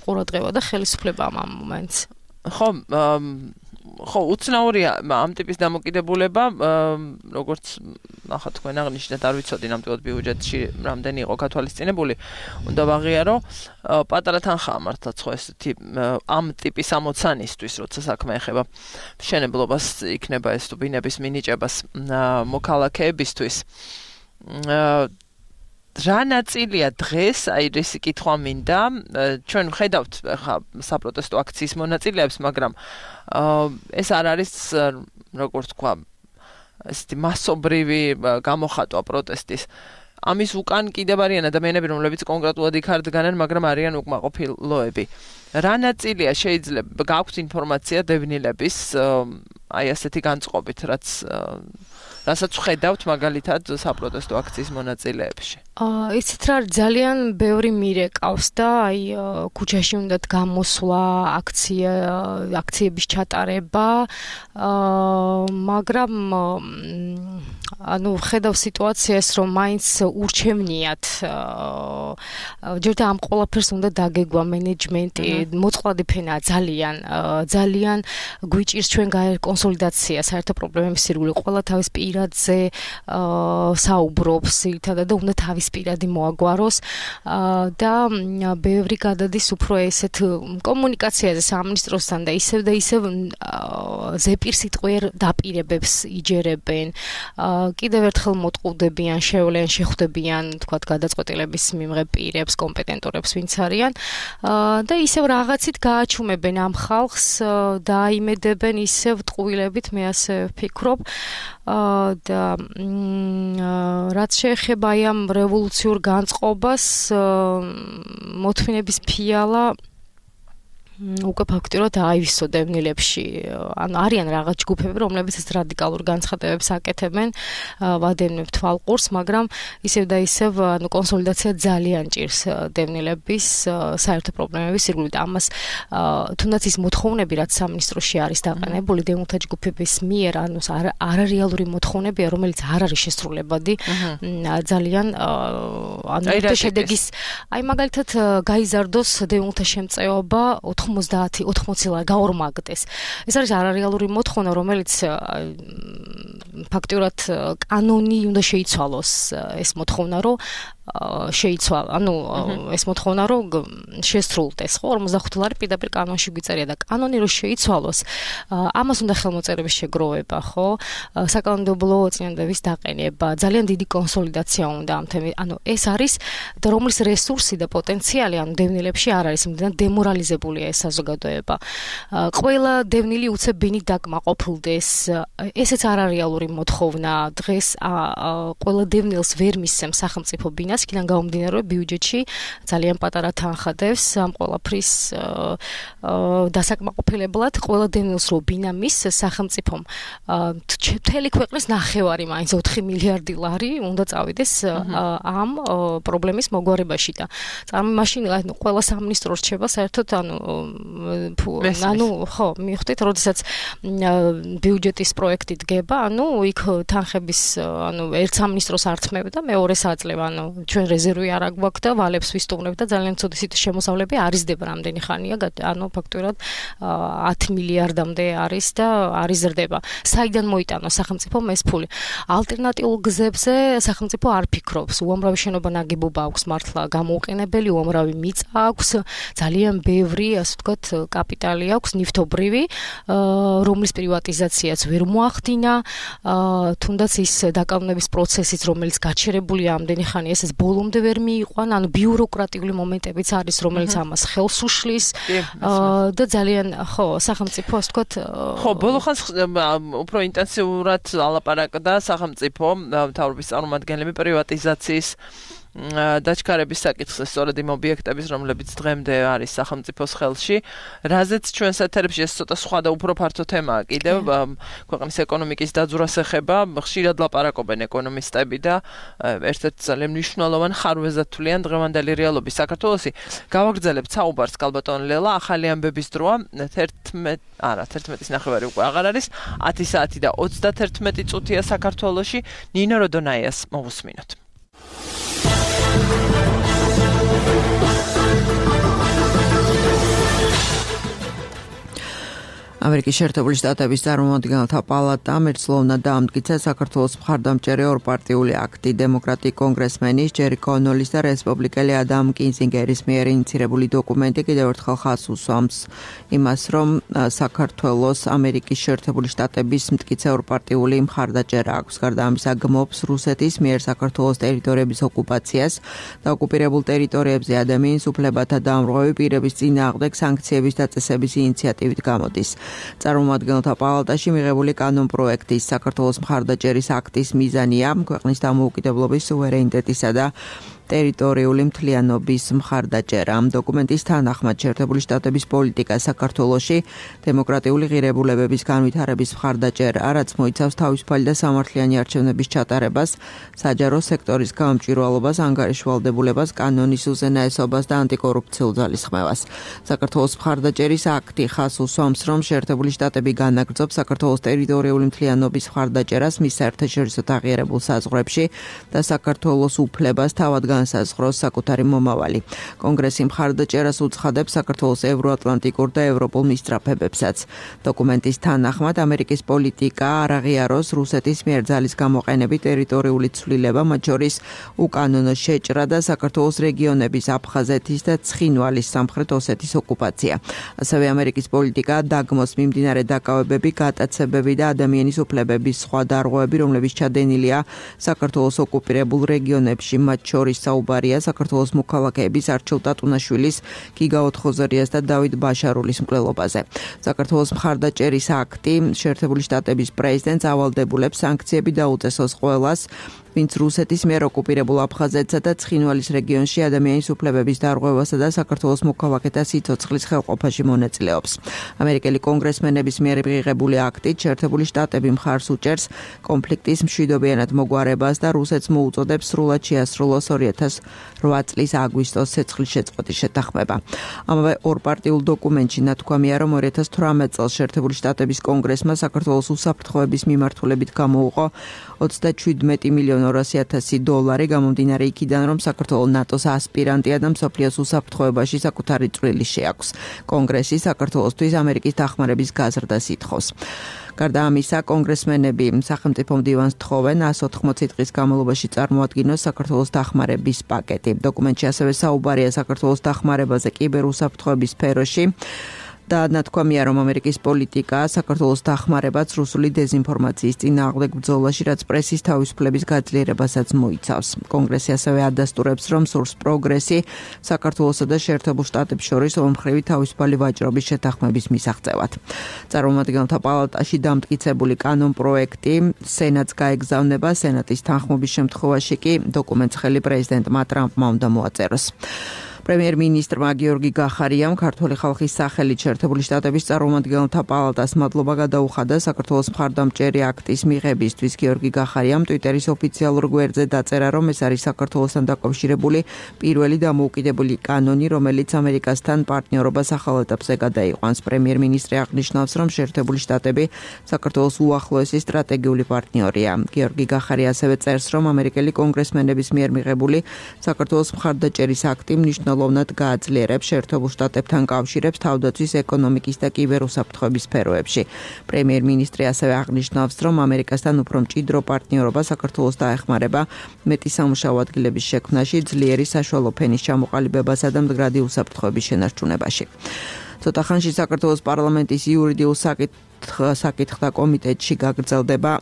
ყურადღება და ხელისუფლებამ ამ მომენტს.
ხო, ხო, უცნაურია ამ ტიპის დამოკიდებულება, როგორც ახლა თქვენ აღნიშნეთ, არ ვიცოდი ნამდვილად ბიუჯეტში რამდენი იყო გათვალისწინებული. უნდა ვაღიარო, პატარა თანხაა მართლაც ხო ესეთი ამ ტიპის ამოცანისთვის, როცა საქმე ეხება მშენებლობას, იქნება ეს თუ ბინების მინიჭებას მოქალაქეებისთვის. რა ნაწილია დღეს, აი ეს კითხვა მინდა, ჩვენ ვხედავთ ხა საპროტესტო აქციის მონაწილეებს, მაგრამ ეს არ არის, როგორც თქვა, ესეთი მასობრივი გამოხატვა პროტესტის. ამის უკან კიდევ არიან ადამიანები, რომლებიც კონკრეტულად იქ არ დგანან, მაგრამ არიან უკმაყოფილოები. რა ნაწილია შეიძლება გაქვთ ინფორმაცია დევნილების აი ასეთი განწყობით, რაც რასაც ვხედავთ მაგალითად საპროტესტო აქციის მონაწილეებში?
აა იცით რა, ძალიან ბევრი მირეკავს და აი ქუჩაში უნდათ გამოსვლა, აქცია, აქციების ჩატარება, აა მაგრამ ანუ ვხედავ სიტუაციას, რომ მაინც ურჩევნიათ, ჯერ და ამ ყველაფერს უნდა დაგეგვა მენეჯმენტი, მოწყვლადი ფენა ძალიან, ძალიან გვიჭირს ჩვენ კონსოლიდაცია, საერთო პრობლემების სირგული, ყველა თავის პირადზე საუბრობს, ერთადად და უნდა თავის პირადი მოაგვაროს და ბევრი გადადის უფრო ესეთ კომუნიკაციაზე სამინისტროსთან და ისევ და ისევ ზეპირსიტყვიერ დაპირებებს იჯერებენ. კიდევ ერთხელ მოტყუდებიან, შევლენ, შეხვდებიან, თქვათ, გადაწყვეტილების მიმღებ პირებს, კომპეტენტორებს, ვინც არიან და ისევ რაღაცით გააჩუმებენ ამ ხალხს და აიმედებენ ისევ ტყუილებით, მე ასე ვფიქრობ. და რაც შეეხება აი ამ რევოლუციურ განწყობას, მოთმინების ფიალა უკვე ფაქტიურად აივისო დევნილებში. ანუ არიან რაღაც ჯგუფები, რომლებიც ეს რადიკალურ განცხადებებს აკეთებენ, ვადევნებ თვალყურს, მაგრამ ისევ და ისევ ანუ კონსოლიდაცია ძალიან ჭირს დევნილების საერთო პრობლემების სირგულით. ამას თუნდაც ის მოთხოვნები, რაც სამინისტროში არის დაყენებული დევნილთა ჯგუფების მიერ, ანუ არარეალური მოთხოვნებია, რომელიც არ არის შესრულებადი, ძალიან ანუ შედეგის, აი მაგალითად გაიზარდოს დევნილთა შემწეობა ოცდაათი ოცდაათი ლარი გაორმაგდეს. ეს არის არარეალური მოთხოვნა, რომელიც ფაქტიურად კანონი უნდა შეიცვალოს ეს მოთხოვნა, რომ შეიცვალა. ანუ ეს მოთხოვნა რომ შესრულდეს, ხო, ორმოცდახუთი დოლარი პირდაპირ კანონში გვიწერია და კანონი რომ შეიცვალოს, ამას უნდა ხელმოწერების შეგროვება, ხო? საკანონმდებლო წინადადების დაყენება, ძალიან დიდი კონსოლიდაცია უნდა ამ თემის. ანუ ეს არის და რომლის რესურსი და პოტენციალი ანუ დევნილებში არ არის, იმდან დემორალიზებულია ეს საზოგადოება. ყველა დევნილი უცებ ბინით დაკმაყოფილდეს. ესეც არარეალური მოთხოვნა. დღეს ყველა დევნილს ვერ მისცემს სახელმწიფო ბინას, იქიდან გამომდინარე ბიუჯეტში ძალიან პატარა თანხა დევს ამ ყველაფრის დასაკმაყოფილებლად. ყველა დევნილს რო ბინა მისცეს სახელმწიფომ მთელი ქვეყნის ნახევარი მაინც ოთხი მილიარდი ლარი უნდა წავიდეს ამ პრობლემის მოგვარებაში და მაშინ ყველა სამინისტრო რჩება საერთოდ ანუ ანუ ხო მიხვდით როდესაც ბიუჯეტის პროექტი დგება ანუ იქ თანხების ანუ ერთ სამინისტროს არ თმევ და მეორეს აძლევ ანუ ჩვენ რეზერვი არ აგვაქვს და ვალებს ვისტუმრებ და ძალიან ცუდი სიტუაციის შემოსავლები არიზდება რამდენი ხანია ანუ ფაქტურად ათი მილიარდამდე არის და არიზრდება საიდან მოიტანოს სახელმწიფომ ეს ფული ალტერნატიულ გზებზე სახელმწიფო არ ფიქრობს უამრავი შენობა ნაგებობა აქვს მართლა გამოუყენებელი უამრავი მიწა აქვს ძალიან ბევრი ასე ვთქვათ კაპიტალი აქვს ნივთობრივი რომლის პრივატიზაციაც ვერ მოახდინა თუნდაც ის დაკავების პროცესიც რომელიც გაჩერებულია ამდენი ხანი ესეც ბოლომდე ვერ მიიყვან ანუ ბიუროკრატიული მომენტებიც არის რომელიც ამას ხელს უშლის და ძალიან ხო სახელმწიფო ასე ვთქვათ
ხო ბოლო ხანს უფრო ინტენსიურად ალაპარაკდა სახელმწიფო მთავრობის წარმომადგენლები პრივატიზაციის დაჩქარების საკითხზე სწორედ იმ ობიექტების რომლებიც დღემდე არის სახელმწიფოს ხელში რაზეც ჩვენს ეთერებში ეს ცოტა სხვა და უფრო ფართო თემაა კიდევ ქვეყნის ეკონომიკის დაძვრას ეხება ხშირად ლაპარაკობენ ეკონომისტები და ერთ-ერთ ძალიან მნიშვნელოვან ხარვეზად თვლიან დღევანდელი რეალობის საქართველოსი გავაგრძელებთ საუბარს კალბატონ ლელა ახალი ამბების დროა თერთმეტი არა თერთმეტის ნახევარი უკვე აღარ არის ათი საათი და ოცდათერთმეტი წუთია საქართველოში ნინო როდონაიას მოვუსმინოთ
ამერიკის შეერთებული შტატების წარმომადგენელთა პალატამ ერთსლოვანად დაამტკიცა საქართველოს მხარდამჭერი ორპარტიული აქტი დემოკრატი კონგრესმენის ჯერი კონოლის და რესპუბლიკელი ადამ კინზინგერის მიერ ინიცირებული დოკუმენტი კიდევ ერთხელ ხაზს უსვამს იმას რომ საქართველოს ამერიკის შეერთებული შტატების მტკიცე ორპარტიული მხარდაჭერა აქვს გარდა ამისა გმობს რუსეთის მიერ საქართველოს ტერიტორიების ოკუპაციას და ოკუპირებულ ტერიტორიებზე ადამიანის უფლებათა დამრღვევი პირების წინააღმდეგ სანქციების დაწესების ინიციატივით გამოდის წარმომადგენელთა პალატაში მიღებული კანონპროექტის საქართველოს მხარდაჭერის აქტის მიზანია ქვეყნის დამოუკიდებლობის სუვერენიტეტისა და ტერიტორიული მთლიანობის მხარდაჭერა. ამ დოკუმენტის თანახმად შეერთებული შტატების პოლიტიკა საქართველოში დემოკრატიული ღირებულებების განვითარების მხარდაჭერა, რაც მოიცავს თავისუფალი და სამართლიანი არჩევნების ჩატარებას, საჯარო სექტორის გამჭვირვალობას, ანგარიშვალდებულებას, კანონის უზენაესობას და ანტიკორუფციულ ძალისხმევას. საქართველოს მხარდაჭერის აქტი ხაზს უსვამს, რომ შეერთებული შტატები განაგრძობს საქართველოს ტერიტორიული მთლიანობის მხარდაჭერას მის საერთაშორისო აღიარებულ საზღვრებში და საქართველოს უფლებას თავად განსაზღვროს საკუთარი მომავალი. კონგრესი მხარდაჭერას უცხადებს საქართველოს ევროატლანტიკურ და ევროპულ მისწრაფებებსაც. დოკუმენტის თანახმად ამერიკის პოლიტიკა არ აღიაროს რუსეთის მიერ ძალის გამოყენებით ტერიტორიული ცვლილება, მათ შორის უკანონო შეჭრა და საქართველოს რეგიონების აფხაზეთის და ცხინვალის სამხრეთ ოსეთის ოკუპაცია. ასევე ამერიკის პოლიტიკა დაგმოს მიმდინარე დაკავებები, გატაცებები და ადამიანის უფლებების სხვა დარღვევები, რომლებიც ჩადენილია საქართველოს ოკუპირებულ რეგიონებში, მათ შორის საუბარია საქართველოს მოქალაქეების არჩილ ტატუნაშვილის, გიგა ოთხოზერიას და დავით ბაშარულის მკვლელობაზე. საქართველოს მხარდაჭერის აქტი შეერთებული შტატების პრეზიდენტს ავალდებულებს სანქციები დაუწესოს ყველას, ვინც რუსეთის მიერ ოკუპირებულ აფხაზეთსა და ცხინვალის რეგიონში ადამიანის უფლებების დარღვევასა და საქართველოს მოქალაქეთა სიცოცხლის ხელყოფაში მონაწილეობს. ამერიკელი კონგრესმენების მიერ მიღებული აქტით შეერთებული შტატები მხარს უჭერს კონფლიქტის მშვიდობიანად მოგვარებას და რუსეთს მოუწოდებს სრულად შეასრულოს ორი ათას რვა წლის აგვისტოს ცეცხლის შეწყვეტის შეთანხმება. ამავე ორპარტიულ დოკუმენტში ნათქვამია, რომ ორი ათას თვრამეტ წელს შეერთებული შტატების კონგრესმა საქართველოს უსაფრთხოების მიმართულებით გამოუყო ოცდაჩვიდმეტი მილიონი ორასი ათასი დოლარი გამომდინარე იქიდან, რომ საქართველოს ნატოს ასპირანტია და მსოფლიოს უსაფრთხოებაში საკუთარი წვლილი შეაქვს. კონგრესი საქართველოსთვის ამერიკის დახმარების გაზრდას ითხოვს. გარდა ამისა, კონგრესმენები სახელმწიფო მდივანს თხოვენ εκατს ოთხმოცი დღის განმავლობაში წარმოადგინოს საქართველოს დახმარების პაკეტი. დოკუმენტში ასევე საუბარია საქართველოს დახმარებაზე კიბერუსაფრთხოების სფეროში. და ნათქვამია, რომ ამერიკის პოლიტიკა საქართველოს დახმარებაც რუსული დეზინფორმაციის წინააღმდეგ ბრძოლაში, რაც პრესის თავისუფლების გაძლიერებასაც მოიცავს. კონგრესი ასევე ადასტურებს, რომ სურს პროგრესი საქართველოსა და შეერთებულ შტატებს შორის ორმხრივი თავისუფალი ვაჭრობის შეთანხმების მისაღწევად. წარმომადგენელთა პალატაში დამტკიცებული კანონპროექტი სენატს გაეგზავნება, სენატის თანხმობის შემთხვევაში კი დოკუმენტს ხელი პრეზიდენტმა ტრამპმა უნდა მოაწეროს. პრემიერ-მინისტრმა გიორგი გახარიამ ქართული ხალხის სახელით შეერთებული შტატების წარმომადგენელთა პალატას მადლობა გადაუხადა საქართველოს მხარდამჭერი აქტის მიღებისთვის. გიორგი გახარიამ ტვიტერის ოფიციალურ გვერდზე დაწერა, რომ ეს არის საქართველოსთან დაკავშირებული პირველი დამოუკიდებელი კანონი, რომელიც ამერიკასთან პარტნიორობას ახალ ეტაპზე გადაიყვანს. პრემიერ-მინისტრი აღნიშნავს, რომ შეერთებული შტატები საქართველოს უახლოესი სტრატეგიული პარტნიორია. გიორგი გახარია ასევე წერს, რომ ამერიკელი კონგრესმენების მიერ მიღებული საქართველოს მხარდაჭერის აქტი მნიშვნელოვანია ლოვნად გააძლიერებს შეერთებულ შტატებთან კავშირებს თავდაცვის, ეკონომიკის და კიბერუსაფრთხოების სფეროებში. პრემიერ-მინისტრი ასევე აღნიშნავს, რომ ამერიკასთან უფრო მჭიდრო პარტნიორობა საქართველოს დაეხმარება მეტი სამუშაო ადგილების შექმნაში, ძლიერი საშუალო ფენის ჩამოყალიბებასა და მდგრადი უსაფრთხოების შენარჩუნებაში. ცოტა ხანში საქართველოს პარლამენტის იურიდიულ საკითხთა კომიტეტში გაგრძელდება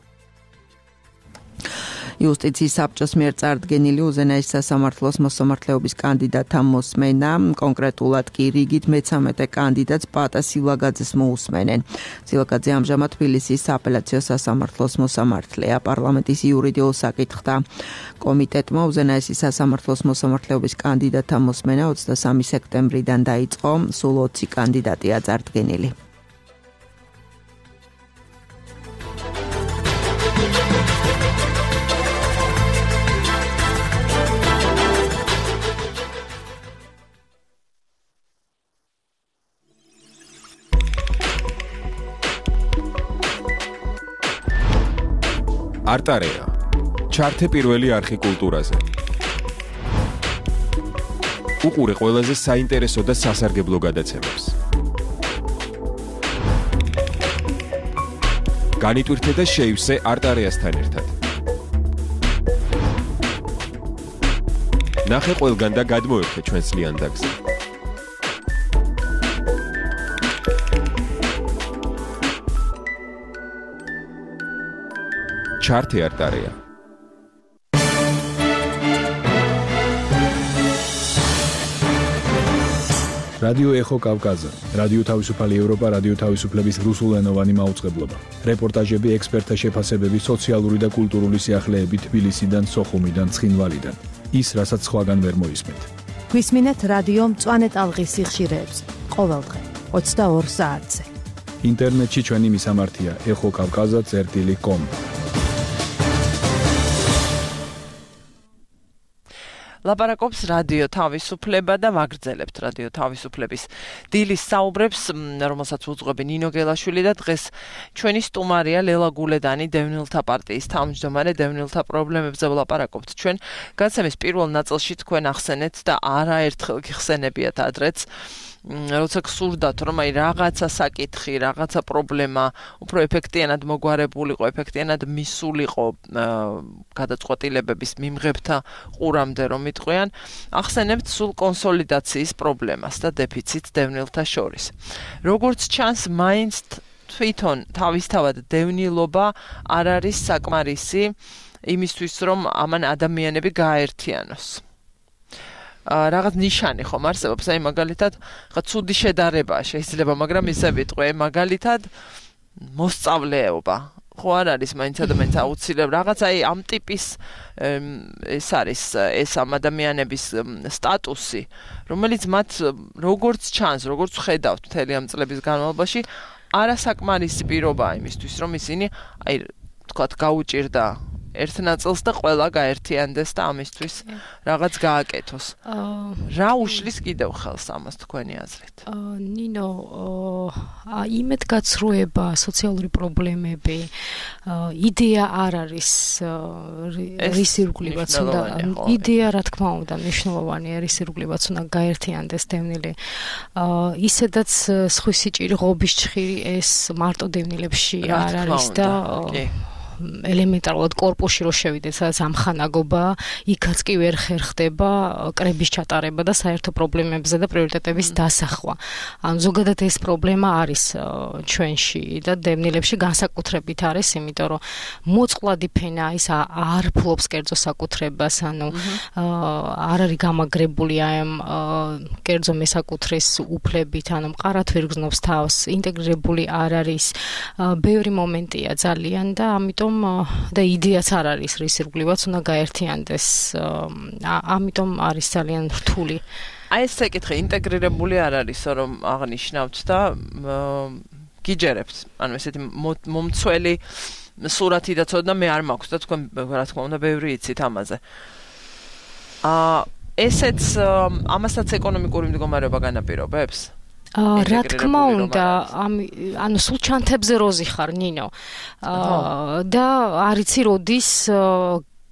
იუსტიციის საბჭოს მიერ წარდგენილი უზენაესი სასამართლოს მოსამართლეობის კანდიდატთა მოსმენა, კონკრეტულად კი რიგით მეცამეტე კანდიდატს პატა სილაგაძეს მოусმენენ. სილაგაძე ამჟამად თბილისის სააპელაციო სასამართლოს მოსამართლეა. პარლამენტის იურიდიულ საკითხთა კომიტეტმა უზენაესი სასამართლოს მოსამართლეობის კანდიდატთა მოსმენა ოცდასამი სექტემბრიდან დაიწყო, სულ ოცი კანდიდატია წარდგენილი.
არტარეა. ჩართე პირველი არხი კულტურაზე. უყურე ყველაზე საინტერესო და სასარგებლო გადაცემებს. განიტვირთე და შეივსე არტარეასთან ერთად. ნახე ყველგან და გადმოერთე ჩვენს ლიანდაგზე. ჩართე არტარეა.
რადიო ეხო კავკაზა, რადიო თავისუფალი ევროპა, რადიო თავისუფლების რუსულენოვანი მაუწყებლობა. რეპორტაჟები, ექსპერტთა შეფასებები, სოციალური და კულტურული სიახლეები თბილისიდან, სოხუმიდან, ცხინვალიდან. ის, რასაც სხვაგან ვერ მოისმენთ.
გვისმინეთ რადიო მწვანე ტალღის სიხშირეებს. ყოველდღე ოცდაორ საათზე.
ინტერნეტში ჩვენი მისამართია ეხო კავკაზა წერტილი კომ.
ლაპარაკობს რადიო თავისუფლება და ვაგრძელებთ რადიო თავისუფლების დილის საუბრებს, რომელსაც უძღვები ნინო გელაშვილი და დღეს ჩვენი სტუმარია ლელა გულედანი, დევნილთა პარტიის თავმჯდომარე. დევნილთა პრობლემებზე ვლაპარაკობთ ჩვენ. გადაცემის პირველ ნაწილში თქვენ ახსენეთ და არაერთხელ გიხსენებიათ ადრეც, როცა გსურდათ, რომ აი რაღაცა საკითხი, რაღაცა პრობლემა უფრო ეფექტიანად მოგვარებულიყო, ეფექტიანად მისულიყო გადაწყვეტილებების მიმღებთა ყურამდე რომ იტყვიან, ახსენებთ სულ კონსოლიდაციის პრობლემას და დეფიციტს დევნილთა შორის. როგორც ჩანს, მაინც თვითონ თავისთავად დევნილობა არ არის საკმარისი იმისთვის, რომ ამან ადამიანები გააერთიანოს. რაღაც ნიშანი ხომ არსებობს, აი მაგალითად, ხა ცუდი შედარება შეიძლება, მაგრამ ისე ვიტყვე, მაგალითად მოსწავლეობა. ხო არ არის მაინც ადამიანს აუცილებლად რაღაც აი ამ ტიპის ეს არის ეს ამ ადამიანების სტატუსი, რომელიც მათ როგორც ჩანს, როგორც ხედავთ მთელი ამ წლების განმავლობაში, არასაკმარისი პირობაა იმისთვის, რომ ისინი აი თქვათ გაუჭირდა ერთ ნაწილს და ყველა გაერთიანდეს და ამისთვის რაღაც გააკეთოს. რა უშლის კიდევ ხელს ამას თქვენი აზრით?
ნინო, იმედგაცრუება, სოციალური პრობლემები, იდეა არ არის რის ირგვლივაც უნდა იდეა რა თქმა უნდა მნიშვნელოვანია, რის ირგვლივაც უნდა გაერთიანდეს დევნილი. ისედაც სხვისი ჭირი ღობის ჭხირი ეს მარტო დევნილებში არ არის და ელემენტარულად კორპუსში რო შევიდეთ, სადაც ამხანაგობა, იქაც კი ვერ ხერხდება კრების ჩატარება და საერთო პრობლემებზე და პრიორიტეტების დასახვა. ან ზოგადად ეს პრობლემა არის ჩვენში და დევნილებში განსაკუთრებით არის, იმიტომ რომ მოწყვლადი ფენა ის არ ფლობს კერძო საკუთრებას, ანუ არ არის გამაგრებული ამ კერძო მესაკუთრის უფლებით, ანუ მყარად ვერ გზნობს თავს, ინტეგრირებული არ არის, ბევრი მომენტია ძალიან და ამიტომ და იდეაც არ არის რის ირგვლივაც უნდა გაერთიანდეს. ამიტომ არის ძალიან რთული.
აი ეს საკითხი ინტეგრირებული არ არის, რომ აღნიშნავთ და გიჯერებთ. ანუ ესეთი მომცველი სურათი და ცოდნა მე არ მაქვს და თქვენ რა თქმა უნდა ბევრი იცით ამაზე. აა ესეც ამასაც ეკონომიკური მდგომარეობა განაპირობებს?
რა თქმა უნდა, ანუ სულ ჩანთებზე როზი ხარ, ნინო. და არიცი როდის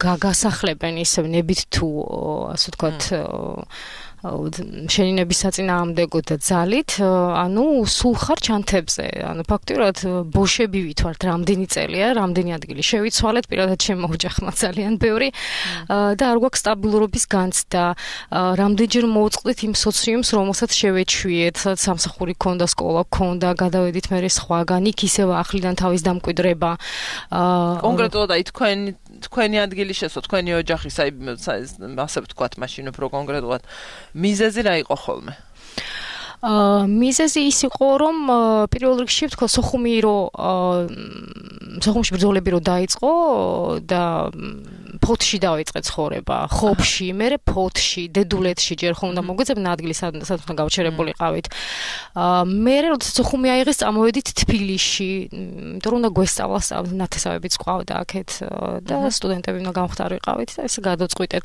გაგასახლებენ ისევ ნებით თუ ასე ვთქვათ შენინების საწინააღმდეგო და ძალით, ანუ სულ ხარ ჩანთებზე. ანუ ფაქტიურად ბოშები ვითვართ რამდენი წელია, რამდენი ადგილი შევიცვალეთ, პირადად ჩემო ოჯახმა ძალიან ბევრი და არ გვაქვს სტაბილურობის განცდა. რამდენჯერ მოვწყდით იმ სოციუმს, რომელსაც შევეჩვიეთ, სადაც სამსახური ქონდა, სკოლა ქონდა, გადავედით მე სხვაგან, იქ ისევ ახლიდან თავის დამკვიდრება.
კონკრეტულად აი თქვენ თქვენი ადგილი შესო, თქვენი ოჯახის, აი ასე ვთქვათ, მაშინ უფრო კონკრეტულად მიზეზი რა იყო ხოლმე?
აა მიზეზი ის იყო, რომ პირველ რიგში ვთქვა სოხუმი რო სოხუმში ბრძოლები რო დაიწყო და ფოთში დავიწყე ცხოვრება, ხობში, მერე ფოთში, დედულეთში ჯერ ხომ უნდა მოგვეძებნა ადგილი სადაც უნდა გავჩერებულიყავით. აა მერე როდესაც სოხუმი აიღეს, წამოვედით თბილისში, იმიტომ რომ უნდა გვესწავლა ნათესავებიც ყავდა აქეთ და სტუდენტები უნდა გამختارიყავით და ესე გადაწყვიტეთ.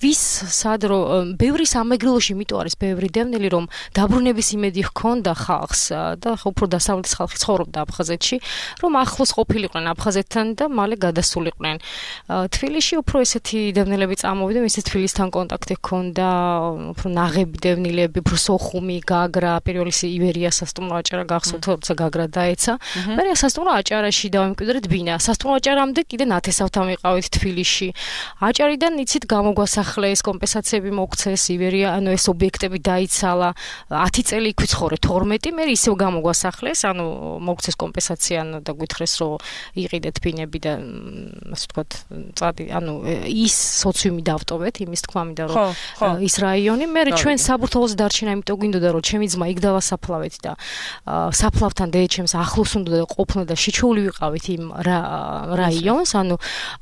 ვის სად რო ბევრი სამეგრელოში იმიტომ არის ბევრი დევნილი, რომ დაბრუნების იმედი ჰქონდა ხალხს და უფრო დასავლეთის ხალხი ცხოვრობდა აფხაზეთში, რომ ახლოს ყოფილიყვნენ აფხაზეთთან და მალე გადასულიყვნენ. თბილისში უფრო ესეთი დევნილები წამოვიდა, ისე თბილისთან კონტაქტი ჰქონდა, უფრო ნაღები დევნილები, უფრო სოხუმი, გაგრა, პირველი ივერია სასტუმრო აჭარა გახსოვთ, როცა გაგრა დაეცა. მერე სასტუმრო აჭარაში დავემკვიდრეთ ბინა. სასტუმრო აჭარამდე კიდე ნათესავთან ვიყავით თბილისში. აჭარიდან იცით გამოგვასახლეს, კომპენსაციები მოგცეს, ივერია, ანუ ეს ობიექტები დაიცალა. ათი წელი იქ ვიცხოვრე, თორმეტი, მე ისევ გამოგვასახლეს, ანუ მოგცეს კომპენსაცია და გვითხრეს, რომ იყიდეთ ბინები და ასე ვთქვათ, წადი, ანუ ის სოციუმი დავტოვეთ, იმის თქმა მინდა, რომ ის რაიონი, მე ჩვენ საბურთალოზე დარჩენა, იმიტომ გვინდოდა, რომ ჩემი ძმა იქ დავასაფლავეთ და საფლავთან დედაჩემს ახლოს უნდა ყოფნა და შეჩეული ვიყავით იმ რაიონს, ანუ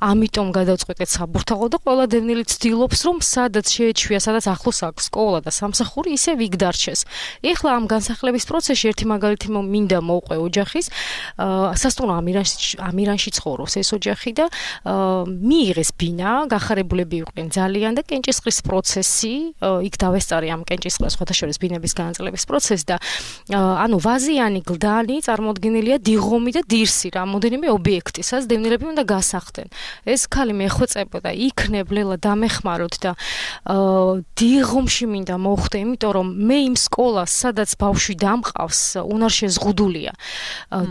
ამიტომ გადავწყვეტეთ საბურთალო და ყველა დევნილი ცდილობს, რომ სადაც შეეჩვია, სადაც ახლოს აქვს სკოლა და სამსახური, ისევ იქ დარჩეს. ეხლა ამ განსახლების პროცესში ერთი მაგალითი მინდა მოვყვე ოჯახის, სასტუმრო ამირანში ამირანში ცხოვრობს ეს ოჯახი და მიიღეს ბინა, გახარებულები იყვნენ ძალიან და კენჭისყრის პროცესი, იქ დავესწარი ამ კენჭისყრას სხვათა შორის ბინების განაწილების პროცესი და ანუ ვაზიანი გლდანი წარმოდგენილია დიღომი და დირსი, რამოდენიმე ობიექტი, სადაც დევნილები უნდა გასახდნენ. ეს ქალი მეხვეწებოდა, იქნებ ლელა დამეხმაროთ და დიღომში მინდა მოხვდე, იმიტომ რომ მე იმ სკოლას, სადაც ბავშვი დამყავს, უნარშეზღუდულია.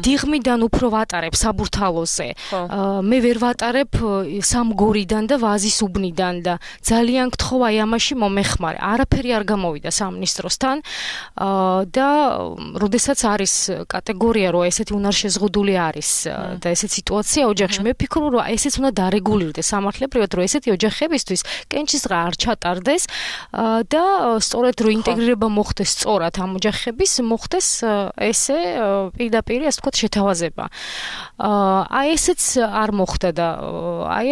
დიღმიდან უფრო ვატარებ საბურთალოზე. მე ვერ ვატარებ სამგორიდან და ვაზის უბნიდან და ძალიან გთხოვ აი ამაში მომეხმარე. არაფერი არ გამოვიდა სამინისტროსთან და როდესაც არის კატეგორია, რომ ესეთი უნარშეზღუდული არის და ესეთი სიტუაცია ოჯახში, მე ვფიქრობ, რომ ესეც უნდა დარეგულირდეს სამართლებრივად, რომ ესეთი ოჯახებისთვის კენჭისყრა არ ჩატარდეს და სწორედ რომ ინტეგრირება მოხდეს სწორად ამ ოჯახების, მოხდეს ესე პირდაპირ, ასე ვთქვათ, შეთავაზება. აი ესეც არ მოხდა და აი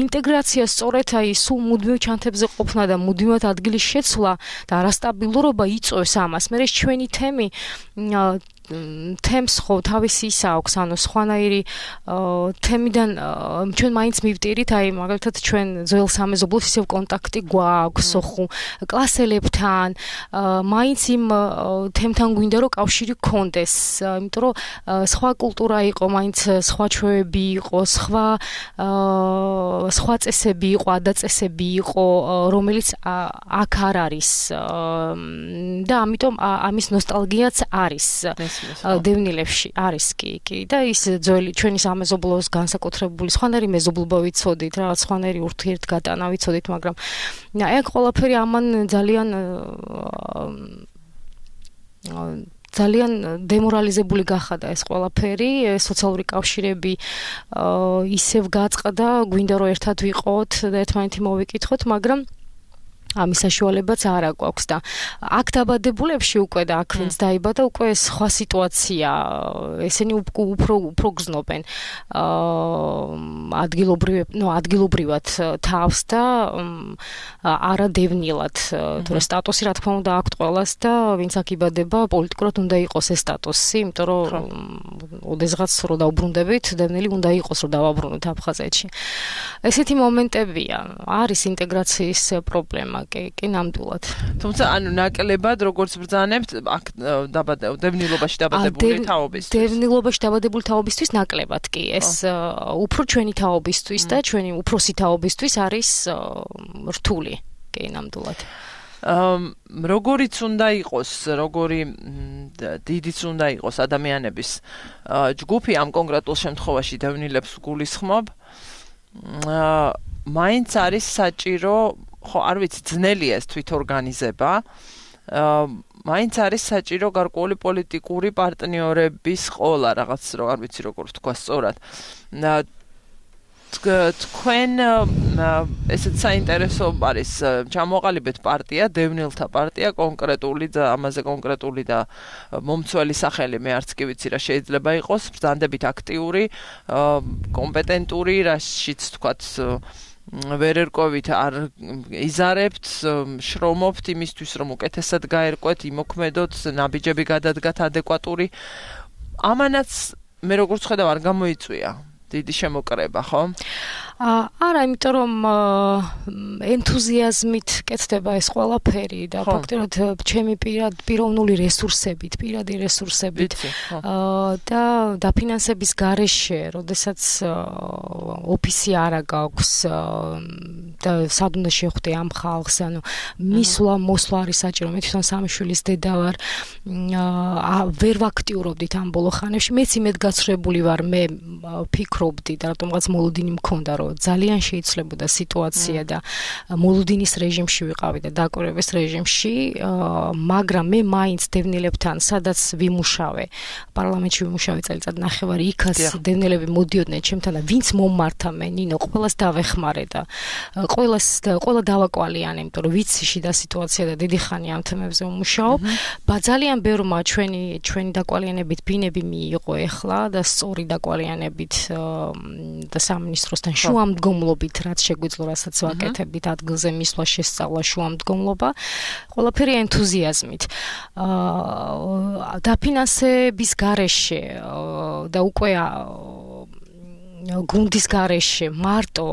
ინტეგრაცია სწორედ აი სულ მუდმივ ჩანთებზე ყოფნა და მუდმივად ადგილის შეცვლა და არასტაბილურობა იწვევს ამას. მე ეს ჩვენი თემი თემს ხო თავისი ისა აქვს, ანუ სხვანაირი თემიდან ჩვენ მაინც მივტირით, აი მაგალითად ჩვენ ძველ სამეზობლოს ისევ კონტაქტი გვაქვს ხუ კლასელებთან, მაინც იმ თემთან გვინდა რომ კავშირი გქონდეს, იმიტომ რომ სხვა კულტურა იყო, მაინც სხვა ჩვევები იყო, სხვა სხვა წესები იყო, ადაწესები იყო, რომელიც აქ არ არის და ამიტომ ამის ნოსტალგიაც არის დევნილებში არის კი კი და ის ძველი ჩვენი სამეზობლოს განსაკუთრებული სხვანაირი მეზობლობა ვიცოდით, რაღაც სხვანაირი ურთიერთგატანა ვიცოდით, მაგრამ აი აქ ყველაფერი ამან ძალიან ძალიან დემორალიზებული გახადა ეს ყველაფერი, სოციალური კავშირები ისევ გაწყდა, გვინდა რომ ერთად ვიყოთ და ერთმანეთი მოვიკითხოთ, მაგრამ ამის საშუალებაც არ აქვს და აქ დაბადებულებში უკვე და აქ ვინც დაიბადა უკვე სხვა სიტუაცია, ესენი უფრო უფრო გზნობენ ადგილობრივ, ნუ ადგილობრივად თავს და არა დევნილად, თუ რა სტატუსი რა თქმა უნდა აქვთ ყველას და ვინც აქ იბადება, პოლიტიკურად უნდა იყოს ეს სტატუსი, იმიტომ რომ ოდესღაც რო დაუბრუნდებით, დევნილი უნდა იყოს რომ დავაბრუნოთ აფხაზეთში. ესეთი მომენტებია, არის ინტეგრაციის პრობლემა. კი, კი ნამდვილად.
თუმცა ანუ ნაკლებად როგორც ბრძანებთ, აქ დევნილობაში დაბადებული თაობისთვის.
დევნილობაში დაბადებული თაობისთვის ნაკლებად კი. ეს უფრო ჩვენი თაობისთვის და ჩვენი უფროსი თაობისთვის არის რთული. კი, ნამდვილად.
როგორიც უნდა იყოს, როგორი დიდიც უნდა იყოს ადამიანების ჯგუფი ამ კონკრეტულ შემთხვევაში დევნილებს გულისხმობ, მაინც არის საჭირო ხო არ ვიცი ძნელია ეს თვითორგანიზება, მაინც არის საჭირო გარკვეული პოლიტიკური პარტნიორების ყოლა, რაღაც რო არ ვიცი როგორ თქვა სწორად. თქვენ ესეც საინტერესო არის ჩამოყალიბეთ პარტია, დევნილთა პარტია, კონკრეტული და ამაზე კონკრეტული და მომცველი სახელი მე არც კი ვიცი რა შეიძლება იყოს, ბრძანდებით აქტიური, კომპეტენტური, რაშიც თქვათ ვერ ერკვევით, არ იზარებთ, შრომობთ იმისთვის, რომ უკეთესად გაერკვეთ, იმოქმედოთ, ნაბიჯები გადადგათ ადეკვატური. ამანაც მე როგორც ხედავ არ გამოიწვია დიდი შემოკრება, ხო?
არა, იმიტომ რომ ენთუზიაზმით კეთდება ეს ყველაფერი და ფაქტობრივად ჩემი პიროვნული რესურსებით, პირადი რესურსებით და დაფინანსების გარეშე, როდესაც ოფისი არა გაქვს და სად უნდა შეხვდე ამ ხალხს, ანუ მისვლა, მოსვლა არის საჭირო. მე თვითონ სამი შვილის დედა ვარ, ვერ ვაქტიურობდით ამ ბოლო ხანებში. მეც იმედ გაცხრებული ვარ, მე ფიქრობდი და რატომღაც მოლოდინი მქონდა, რომ ძალიან შეიცვლებოდა სიტუაცია და მოლოდინის რეჟიმში ვიყავი და დაკვირვების რეჟიმში, მაგრამ მე მაინც დევნილებთან, სადაც ვიმუშავე, პარლამენტში ვიმუშავე წელიწად ნახევარი, იქაც დევნილები მოდიოდნენ ჩემთან და ვინც მომართა მე, ნინო, ყველას დავეხმარე და ყველას ყველა დავაკვალიანე, იმიტომ რომ ვიცი შიდა სიტუაცია და დიდი ხანი ამ თემებზე ვმუშაობ. ძალიან ბევრმა ჩვენი ჩვენი დაკვალიანებით ბინები მიიღო ეხლა და სწორი დაკვალიანებით და სამინისტროსთან შუამდგომლობით, რაც შეგვიძლია, რასაც ვაკეთებით, ადგილზე მისვლა, შესწავლა, შუამდგომლობა, ყველაფერი ენთუზიაზმით. დაფინანსების გარეშე და უკვე გუნდის გარეშე მარტო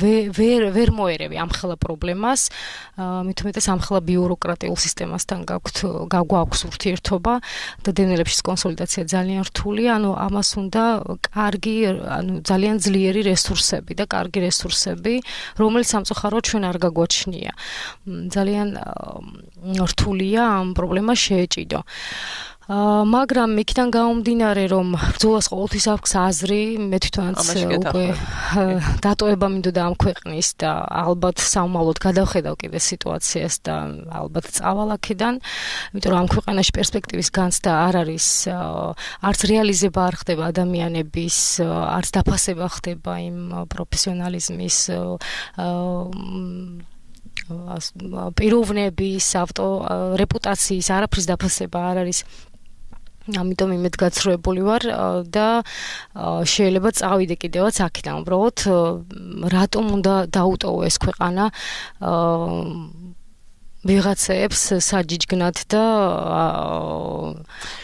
ვერ ვერ მოერევი ამ ხელა პრობლემას, მით უმეტეს ამ ხელა ბიუროკრატიულ სისტემასთან გაქვთ გაგვაქვს ურთიერთობა და დევნილებშიც კონსოლიდაცია ძალიან რთულია, ანუ ამას უნდა კარგი, ანუ ძალიან ძლიერი რესურსები და კარგი რესურსები, რომელიც სამწუხაროდ ჩვენ არ გაგვაჩნია. ძალიან რთულია ამ პრობლემას შეეჭიდო. მაგრამ იქიდან გამომდინარე, რომ ბრძოლას ყოველთვის აქვს აზრი, მე თვითონაც უკვე დატოვება მინდოდა ამ ქვეყნის და ალბათ საომალოდ გადავხედავ კიდე სიტუაციას და ალბათ წავალ აქედან, იმიტომ რომ ამ ქვეყანაში პერსპექტივის განცდა არ არის, არც რეალიზება არ ხდება ადამიანების, არც დაფასება ხდება იმ პროფესიონალიზმის პიროვნების, ავტო რეპუტაციის, არაფრის დაფასება არ არის. ამიტომ იმედგაცრუებული ვარ და შეიძლება წავიდე კიდევაც აქედან, უბრალოდ რატომ უნდა დაუტოვო ეს ქვეყანა ვიღაცებს საჯიჯგნად და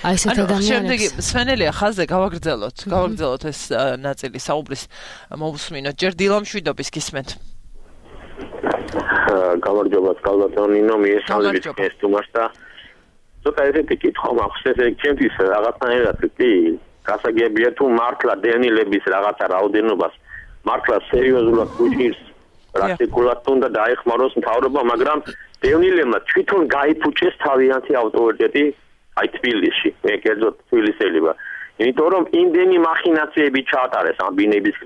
აი ესეთ ადამიანებს.
შემდეგი სვენელია ხაზზე გავაგრძელოთ, გავაგრძელოთ ეს ნაწილი საუბრის მოვუსმინოთ. ჯერ დილამშვიდობის გისმენთ.
გამარჯობა, კალბატონინო, მიესალმებით ეს თუმას და ცოტა ესეთი კითხვა მაქვს, ესე ჩემთვის რაღაცნაირად კი გასაგებია თუ მართლა დევნილების რაღაცა რაოდენობას მართლა სერიოზულად გუჭირს პრაქტიკულად უნდა დაეხმაროს მთავრობა, მაგრამ დევნილებმა თვითონ გაიფუჭეს თავიანთი ავტორიტეტი აი თბილისში, მე კერძოდ თბილისელი ვარ. იმიტომ რომ იმდენი მახინაციები ჩაატარეს ამ ბინების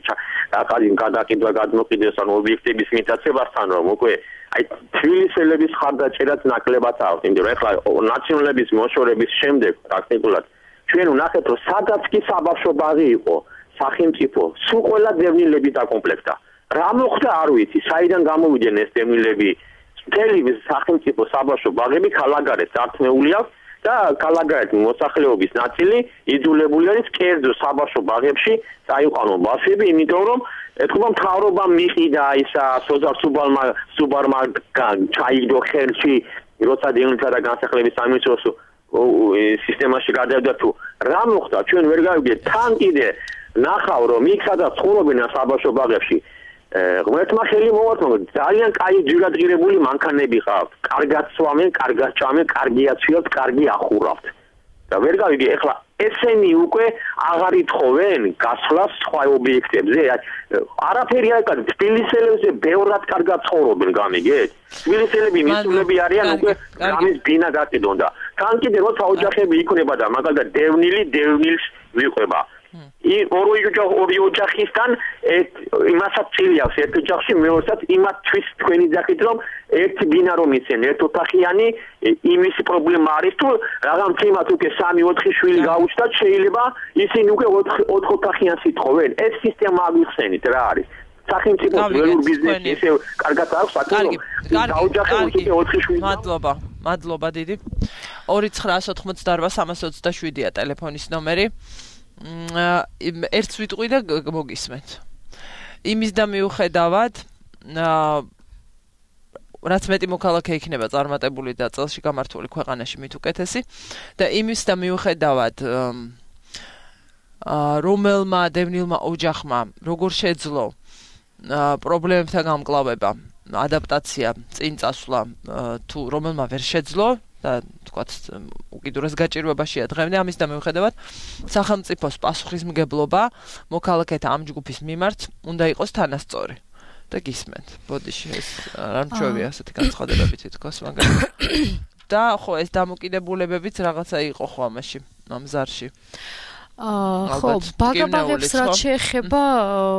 რაღაცის გადაკიდვა გადმოყიდეს ან ობიექტების მიტაცებასთან რომ უკვე აი თბილისელების ხარდაჭერაც ნაკლებად აქვს, იმიტომ რომ ეხლა ნაციონალების მოშორების შემდეგ პრაქტიკულად ჩვენ ვნახეთ რომ სადაც კი საბავშვო ბაღი იყო სახელმწიფო სულ ყველა დევნილები დაკომპლექტა. რა მოხდა არ ვიცი, საიდან გამოვიდნენ ეს დევნილები? მთელი სახელმწიფო საბავშვო ბაღები ქალაქგარეთ დართმეული აქვს და ქალაქგარეთ მოსახლეობის ნაწილი იძულებული არის კერძო საბავშვო ბაღებში წაიყვანონ ბავშვები, იმიტომ რომ ეთქობა მთავრობამ მიყიდა ისა სოზარ სუბალმა სუბარმა ჩაიგდო ხელში როცა დევნილთა და განსახლების სამინისტროს სისტემაში გადავიდა თუ რა მოხდა ჩვენ ვერ გავიგეთ თან კიდე ნახავ რომ იქ სადაც ცხოვრობენ საბავშვო ბაღებში ღმერთმა ხელი მოვართმო ძალიან კაი ჯირადღირებული მანქანები ყავთ კარგად სვამენ კარგად ჭამენ კარგი აცვიოთ კარგი ახურავთ და ვერ გავიგე ეხლა ესენი უკვე აღარ ითხოვენ გასვლას სხვა ობიექტებზე არაფერი არ კაც თბილისელებზე ბევრად კარგად ცხოვრობენ გამიგეთ თბილისელები მისულები არიან უკვე გამის ბინა გაკიდონ და თან კიდე როცა ოჯახები იქნება და მაგალითად დევნილი დევნილს ვიყვება I ორი ოჯახ ორი ოჯახისთან იმასაც წილიავს ერთ ოჯახში მეორესაც იმათვის თქვენი ძახით რომ ერთი ბინა რომ იცენ ერთ ოთახიანი იმის პრობლემა არის თუ რაღაც თემათ უკვე სამი ოთხი შვილი გაუჩნდათ შეიძლება ისინი უკვე ოთხ ოთახიანს ითხოვენ ეს სისტემა აღიხსენით რა არის სახელმწიფო ველურ ბიზნესი ესე კარგად აქვს საკითხი დაოჯახებს უკვე ოთხი შვილი
მადლობა მადლობა დიდი ორი ცხრაას ოთხმოცდაორვა სამას ოცდაშვიდია ტელეფონის ნომერი ერთს ვიტყვი და მოგისმენთ. იმის და მიუხედავად, რაც მეტი მოქალაქე იქნება წარმატებული და წელში გამართული ქვეყანაში მით უკეთესი და იმის და მიუხედავად რომელმა დევნილმა ოჯახმა როგორ შეძლო პრობლემებთან გამკლავება, ადაპტაცია, წინ წასვლა თუ რომელმა ვერ შეძლო და თქვათ უკიდურეს გაჭირვებაშია დღემდე ამის და მიუხედავად სახელმწიფოს პასუხისმგებლობა მოქალაქეთა ამ ჯგუფის მიმართ უნდა იყოს თანასწორი და გისმენთ ბოდიში ეს რა მჩვევია ასეთი განცხადებებით თქოს მაგალითად და ხო ეს დამოკიდებულებებიც რაღაცა იყო ხო ამაში ამ ზარში
ხო, ბაგაბაღებს რაც შეეხება,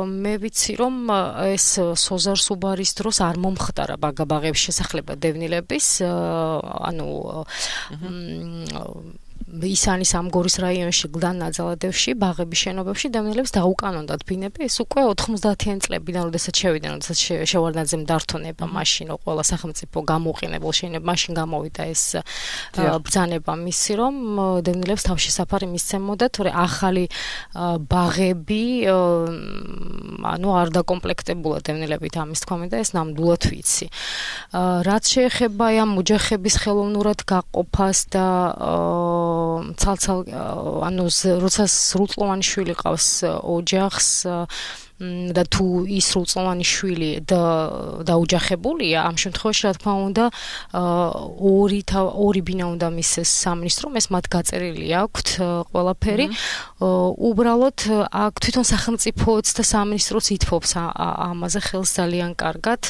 მე ვიცი რომ ეს სოზარ სუბარის დროს არ მომხდარა ბაგაბაღების შესახება დევნილების, ანუ ისანის ამგორის რაიონში გლდან ნაძალადევში ბაღების შენობებში დევნილებს დაუკანონდათ ბინები ეს უკვე ოთხმოცდაათიან წლებიდან როდესაც შევიდნენ როდესაც შევარდნაძემ დართონება მაშინ ყველა სახელმწიფო გამოუყენებელ შეიძლება მაშინ გამოვიდა ეს ბრძანება მისი რომ დევნილებს თავშესაფარი მისცემოდა თორე ახალი ბაღები ანუ არ დაკომპლექტებულა დევნილებით ამის თქმა მინდა ეს ნამდვილად ვიცი რაც შეეხება ამ ოჯახების ხელოვნურად გაყოფას და ცალ-ცალ ანუ როცა სრულწლოვანი შვილი ყავს ოჯახს და თუ ის სრულწლოვანი შვილი დაუჯახებულია ამ შემთხვევაში რა თქმა უნდა ორი ორი ბინა უნდა მისცეს სამინისტრომ ეს მათ გაწერილი აქვთ ყველაფერი უბრალოდ აქ თვითონ სახელმწიფოც და სამინისტროც ითფობს ამაზე ხელს ძალიან კარგად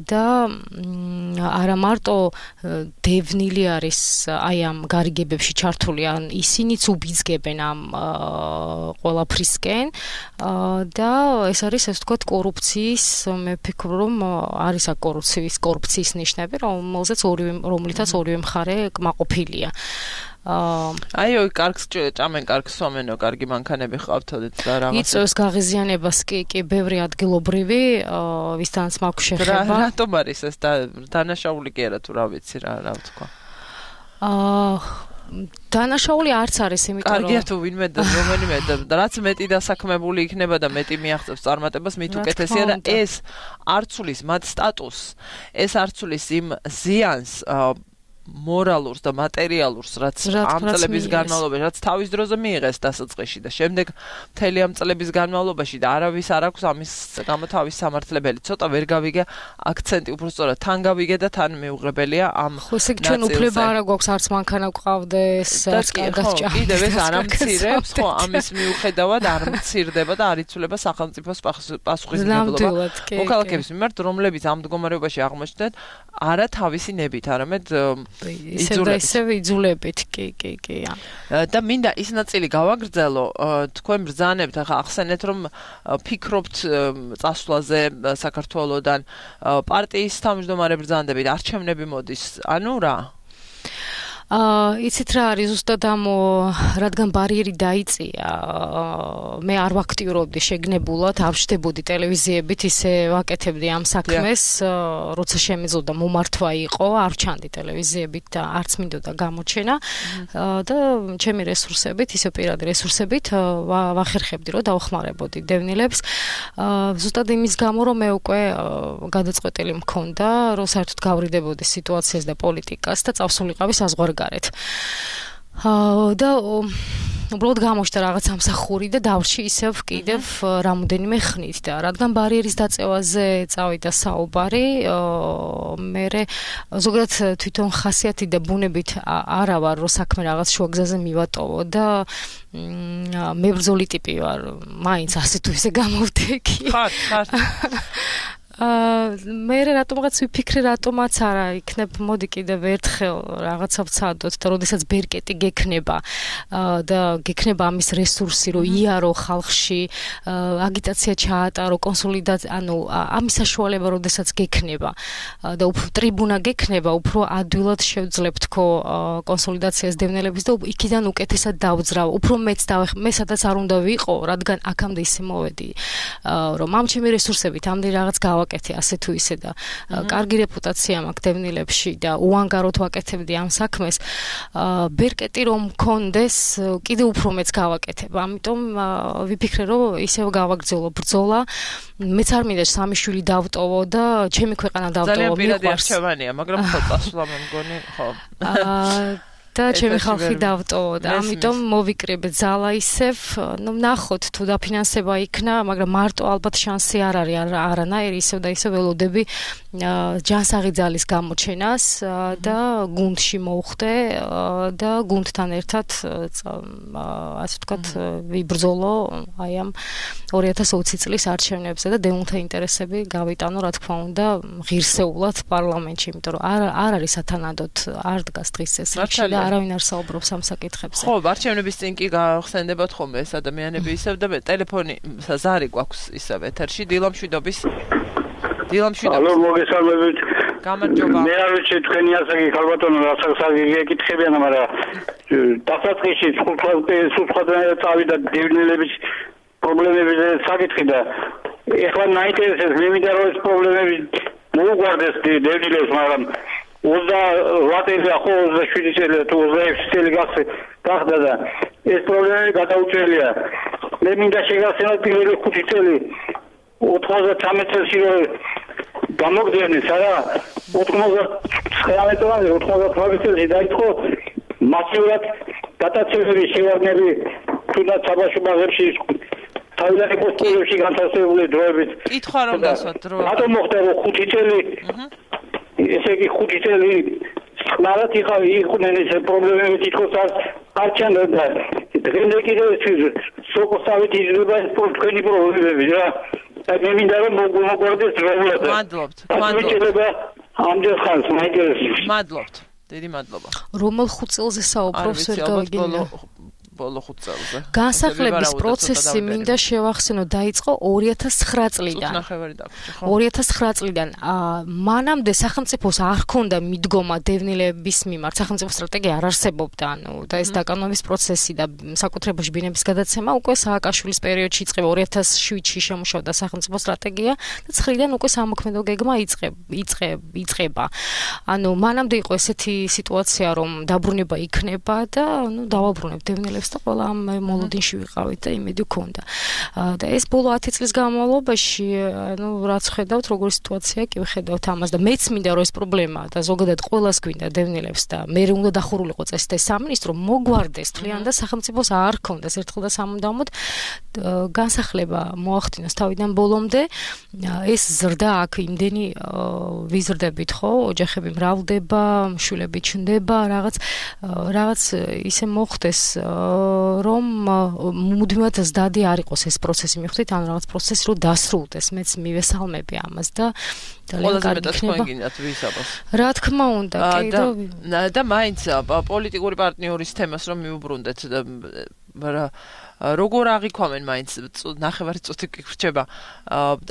და არა მარტო დევნილი არის აი ამ გარიგებებში ჩართული ან ისინიც უბიძგებენ ამ ყველაფრისკენ და ეს არის ასე ვთქვათ კორუფციის მე ვფიქრობ რომ არის აქ კორუფციის კორუფციის ნიშნები რომელზეც ორივე რომლითაც ორივე მხარე კმაყოფილია აიო კარგს ჭამენ კარგს სვამენო კარგი მანქანები ყავთოდეთ და რაღაც იწევს გაღიზიანებას კი კი ბევრი ადგილობრივი ვისთანაც მაქვს შეხება რატომ არის ეს და დანაშაული კი არა თუ რა ვიცი რა რა ვთქვა აა დანაშაული არც არის, იმიტომ რომ
კარგია თუ ვინმე და რომელიმე და რაც მეტი დასაქმებული იქნება და მეტი მიაღწევს წარმატებას, მით უკეთესია და ეს არცulis მათ სტატუსს, ეს არცulis იმ ზიანს მორალურს და მატერიალურს, რაც ამ წლების განმავლობაში, რაც თავის დროზე მიიღეს დასაწყისში და შემდეგ მთელი ამ წლების განმავლობაში და არავის არ აქვს ამის გამო თავის სამართლებელი. ცოტა ვერ გავიგე აქცენტი, უფრო სწორად თან გავიგე და თან მიუღებელია ამ
ხო, ესე ჩვენ უფლება არ გვაქვს არც მანქანა გვყავდეს, არც კარგად ჭამდეს.
კიდევ ეს არ ამცირებს, ხო, ამის მიუხედავად არ მცირდება და არ იცვლება სახელმწიფოს პასუხისმგებლობა მოქალაქეების მიმართ, რომლებიც ამ მდგომარეობაში აღმოჩნდნენ არა თავისი ნებით, არამედ
ისევ და ისევ იძულებით, კი, კი, კი.
და მინდა ის ნაწილი გავაგრძელო, თქვენ ბრძანებთ, ახლა ახსენეთ, რომ ფიქრობთ წასვლაზე საქართველოსდან, პარტიის თავმჯდომარე ბრძანდებით, არჩევნები მოდის, ანუ რა?
აა იცით რა არის ზუსტად ამ რადგან ბარიერი დაიწია მე არ ვაქტიურობდი შეგნებულად არ ვშდებოდი ტელევიზიებით ისე ვაკეთებდი ამ საქმეს როცა შემიძლოდა მომართვა იყო არ ვჩანდი ტელევიზიებით და არც მინდოდა გამოჩენა და ჩემი რესურსებით ისე პირადი რესურსებით ვახერხებდი რომ დავხმარებოდი დევნილებს ზუსტად იმის გამო რომ მე უკვე გადაწყვეტილი მქონდა რომ საერთოდ გავრიდებოდი სიტუაციას და პოლიტიკას და წავსულიყავი საზღვარ გარეთ. და უბრალოდ გამოჩნდა რაღაც ამსახური და დავრჩი ისევ კიდევ რამოდენიმე ხნით და რადგან ბარიერის დაწევაზე წავიდა საუბარი, მე ზოგადად თვითონ ხასიათი და ბუნებით არა ვარ რომ საქმე რაღაც შუაგზაზე მივატოვო და მებრძოლი ტიპი ვარ, მაინც ასე თუ ისე გამოვდექი.
ხარ, ხარ.
აა მე რატომღაც ვიფიქრე რატომაც არა იქნებ მოდი კიდევ ერთხელ რაღაცა ვცადოთ და როდესაც ბერკეტი გექნება და გექნება ამის რესურსი რომ იარო ხალხში აგიტაცია ჩაატარო კონსოლიდაცია ანუ ამის საშუალება როდესაც გექნება და უფრო ტრიბუნა გექნება უფრო ადვილად შევძლებთ თქო კონსოლიდაციას დევნილების და იქიდან უკეთესად დავძრავ უფრო მეც მე სადაც არ უნდა ვიყო რადგან აქამდე ისე მოვედი რომ ამ ჩემი რესურსებით ამდენ რაღაც გავა ვაკეთე ასე თუ ისე და კარგი რეპუტაცია მაქვს დევნილებში და უანგაროდ ვაკეთებდი ამ საქმეს. ბერკეტი რომ მქონდეს, კიდევ უფრო მეც გავაკეთებ. ამიტომ ვიფიქრე რომ ისევ გავაგრძელო ბრძოლა. მეც არ მინდა სამი შვილი დავტოვო და ჩემი ქვეყანა დავტოვო.
ძალიან პირადი არჩევანია, მაგრამ ხო წასვლა მე მგონი, ხო.
აა და ჩემი ხალხი დავტოვო და ამიტომ მოვიკრიბე ძალა ისევ, ნუ ნახოთ თუ დაფინანსება იქნა, მაგრამ მარტო ალბათ შანსი არ არის არანაირი ისევ და ისევ ველოდები ჯანსაღი ძალის გამოჩენას და გუნდში მოვხდე და გუნდთან ერთად ასე ვთქვათ ვიბრძოლო აი ამ ორი ათას ოცი წლის არჩევნებზე და დევნილთა ინტერესები გავიტანო რა თქმა უნდა ღირსეულად პარლამენტში, იმიტომ რომ არ არ არის სათანადოდ არ დგას დღის წესრიგში და არავინ არ საუბრობს ამ საკითხებზე.
ხო, არჩევნების წინ კი გახსენდებათ ხოლმე ეს ადამიანები ისევ და ტელეფონი ზარი გვაქვს ისევ ეთერში დილამშვიდობის დილამშვიდობის.
ალო, მოგესალმებით.
გამარჯობა.
მე არ ვიცი თქვენი ასაკი ქალბატონო რასაც გეკითხებიან, მაგრამ დასაწყისში სულხადანაა წავიდა დევნილების პრობლემებზე საკითხი და ეხლა მაინტერესებს მე მინდა რომ ეს პრობლემები მოუგვარდეს დევნილებს, მაგრამ ოცდაოთხ წელი ხო ოცდაშვიდი წელი თუ ოცდაექვსი წელი გახდა და ეს პრობლემები გადაუჭრელია. მე მინდა შეგახსენოთ პირველი ხუთი წელი ოთხმოცდათრამეტ წელში რომ გამოგდევნეს არა ოთხმოცდათვრამეტ წელში ოთხმოცდათვრამეტ წელში დაიწყო მასიურად გადაცემების შევარდნები თუნდაც საბავშვოებში თავიდანვე პოსტებში განთავსებული დროებით.
კითხვა რომ დასვათ დრო.
რატომ მოხდა რომ ხუთი წელი ესე იგი ხუთი წელი ხნარად იყავი იყვნენ ეს პრობლემები თითქოს არ ჩანდა დღემდე კიდევ სოკოსავით იზრდება ეს თქვენი პრობლემები რა მე მინდა რომ მოგვარდეს დროულად
მადლობთ მადლობთ
ამდენ ხანს მაინტერესებს
მადლობთ დიდი მადლობა
რომელ ხუთ წელზე საუბრობს ვერ გავიგე
ბოლო ხუთ წელზე.
განსახლების პროცესი მინდა შევახსენო დაიწყო ორი ათას ცხრა წლიდან.
წუთნახევარი დაგვრჩა, ხო?
ორი ათას ცხრა წლიდან. მანამდე სახელმწიფოს არ ჰქონდა მიდგომა დევნილების მიმართ. სახელმწიფო სტრატეგია არ არსებობდა, ანუ და ეს დაკანონების პროცესი და საკუთრებაში ბინების გადაცემა უკვე სააკაშვილის პერიოდში იწყება ორი ათას შვიდში შემუშავდა სახელმწიფო სტრატეგია და ცხრიდან უკვე სამოქმედო გეგმა იწყება. ანუ მანამდე იყო ესეთი სიტუაცია, რომ დაბრუნება იქნება და ანუ დავაბრუნებ დევნილებს და ყველა ამ მოლოდინში ვიყავით და იმედი გქონდა. და ეს ბოლო ათი წლის განმავლობაში, ანუ რაც ხედავთ, როგორი სიტუაცია კი ვხედავთ ამას და მეც მინდა რომ ეს პრობლემა და ზოგადად ყველას გვინდა დევნილებს და მე უნდა დახურულიყო წესით ეს სამინისტრო მოგვარდეს თლიან და სახელმწიფოს არ ქონდეს ერთხელ და სამუდამოდ განსახლება მოახდინოს თავიდან ბოლომდე. ეს ზრდა აქ იმდენი ვიზრდებით, ხო, ოჯახები მრავლდება, შვილები ჩნდება, რაღაც რაღაც ისე მოხდეს, რომ მუდმივად ზდადი არ იყოს ეს პროცესი, მიხვდით, ანუ რაღაც პროცესი რო დასრულდეს, მეც მივესალმები ამას და ძალიან კარგი იქნება. რა თქმა უნდა, კი
და და მაინც პოლიტიკური პარტნიორის თემას რომ მიუბრუნდეთ, მაგრამ როგორ აღიქვამენ მაინც ნახევარი წუთი გირჩება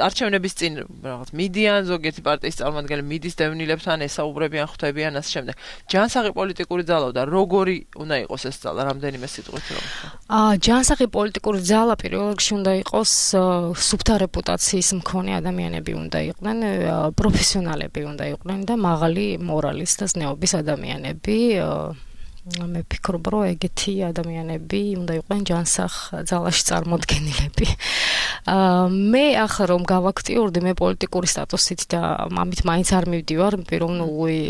არჩევნების წინ რაღაც მიდიან ზოგიერთი პარტიის წარმომადგენლები მიდის დევნილებთან ესაუბრებიან ხვდებიან ასე შემდეგ. ჯანსაღი პოლიტიკური ძალა და როგორი უნდა იყოს ეს ძალა რამდენიმე სიტყვით რომ
აა ჯანსაღი პოლიტიკური ძალა პირველ რიგში უნდა იყოს სუფთა რეპუტაციის მქონე ადამიანები უნდა იყვნენ, პროფესიონალები უნდა იყვნენ და მაღალი მორალის და ზნეობის ადამიანები. მე ვფიქრობ, რომ ეგეთი ადამიანები უნდა იყვნენ ჯანსაღ ძალაში წარმოდგენილები. მე ახლა რომ გავაქტიურდი, მე პოლიტიკური სტატუსით და ამით მაინც არ მივდივარ, პიროვნული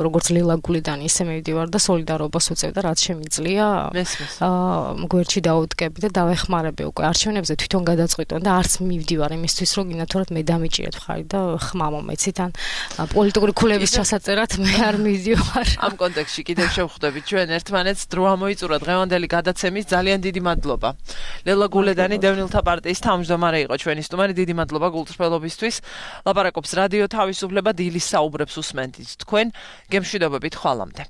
როგორც ლილა გულიდან ისე მივდივარ და სოლიდარობას უწევ და რაც შემიძლია გვერდში დავუდგები და დავეხმარები უკვე არჩევნებზე თვითონ გადაწყვიტონ და არც მივდივარ იმისთვის, რომ გინათორად მე დამიჭირეთ ხარი და ხმა მომეცით ან პოლიტიკური ქულების ჩასაწერად მე არ მივდივარ.
ამ კონტექსტში კიდევ შევხვდებით ჩვენ ერთმანეთს დრო ამოიწურა დღევანდელი გადაცემის ძალიან დიდი მადლობა. ლელა გულედანი დევნილთა პარტიის თავმჯდომარე იყო ჩვენი სტუმარი. დიდი მადლობა გულწრფელობისთვის. ლაპარაკობს რადიო თავისუფლება დილის საუბრებს უსმენთ თქვენ. გემშვიდობებით ხვალამდე.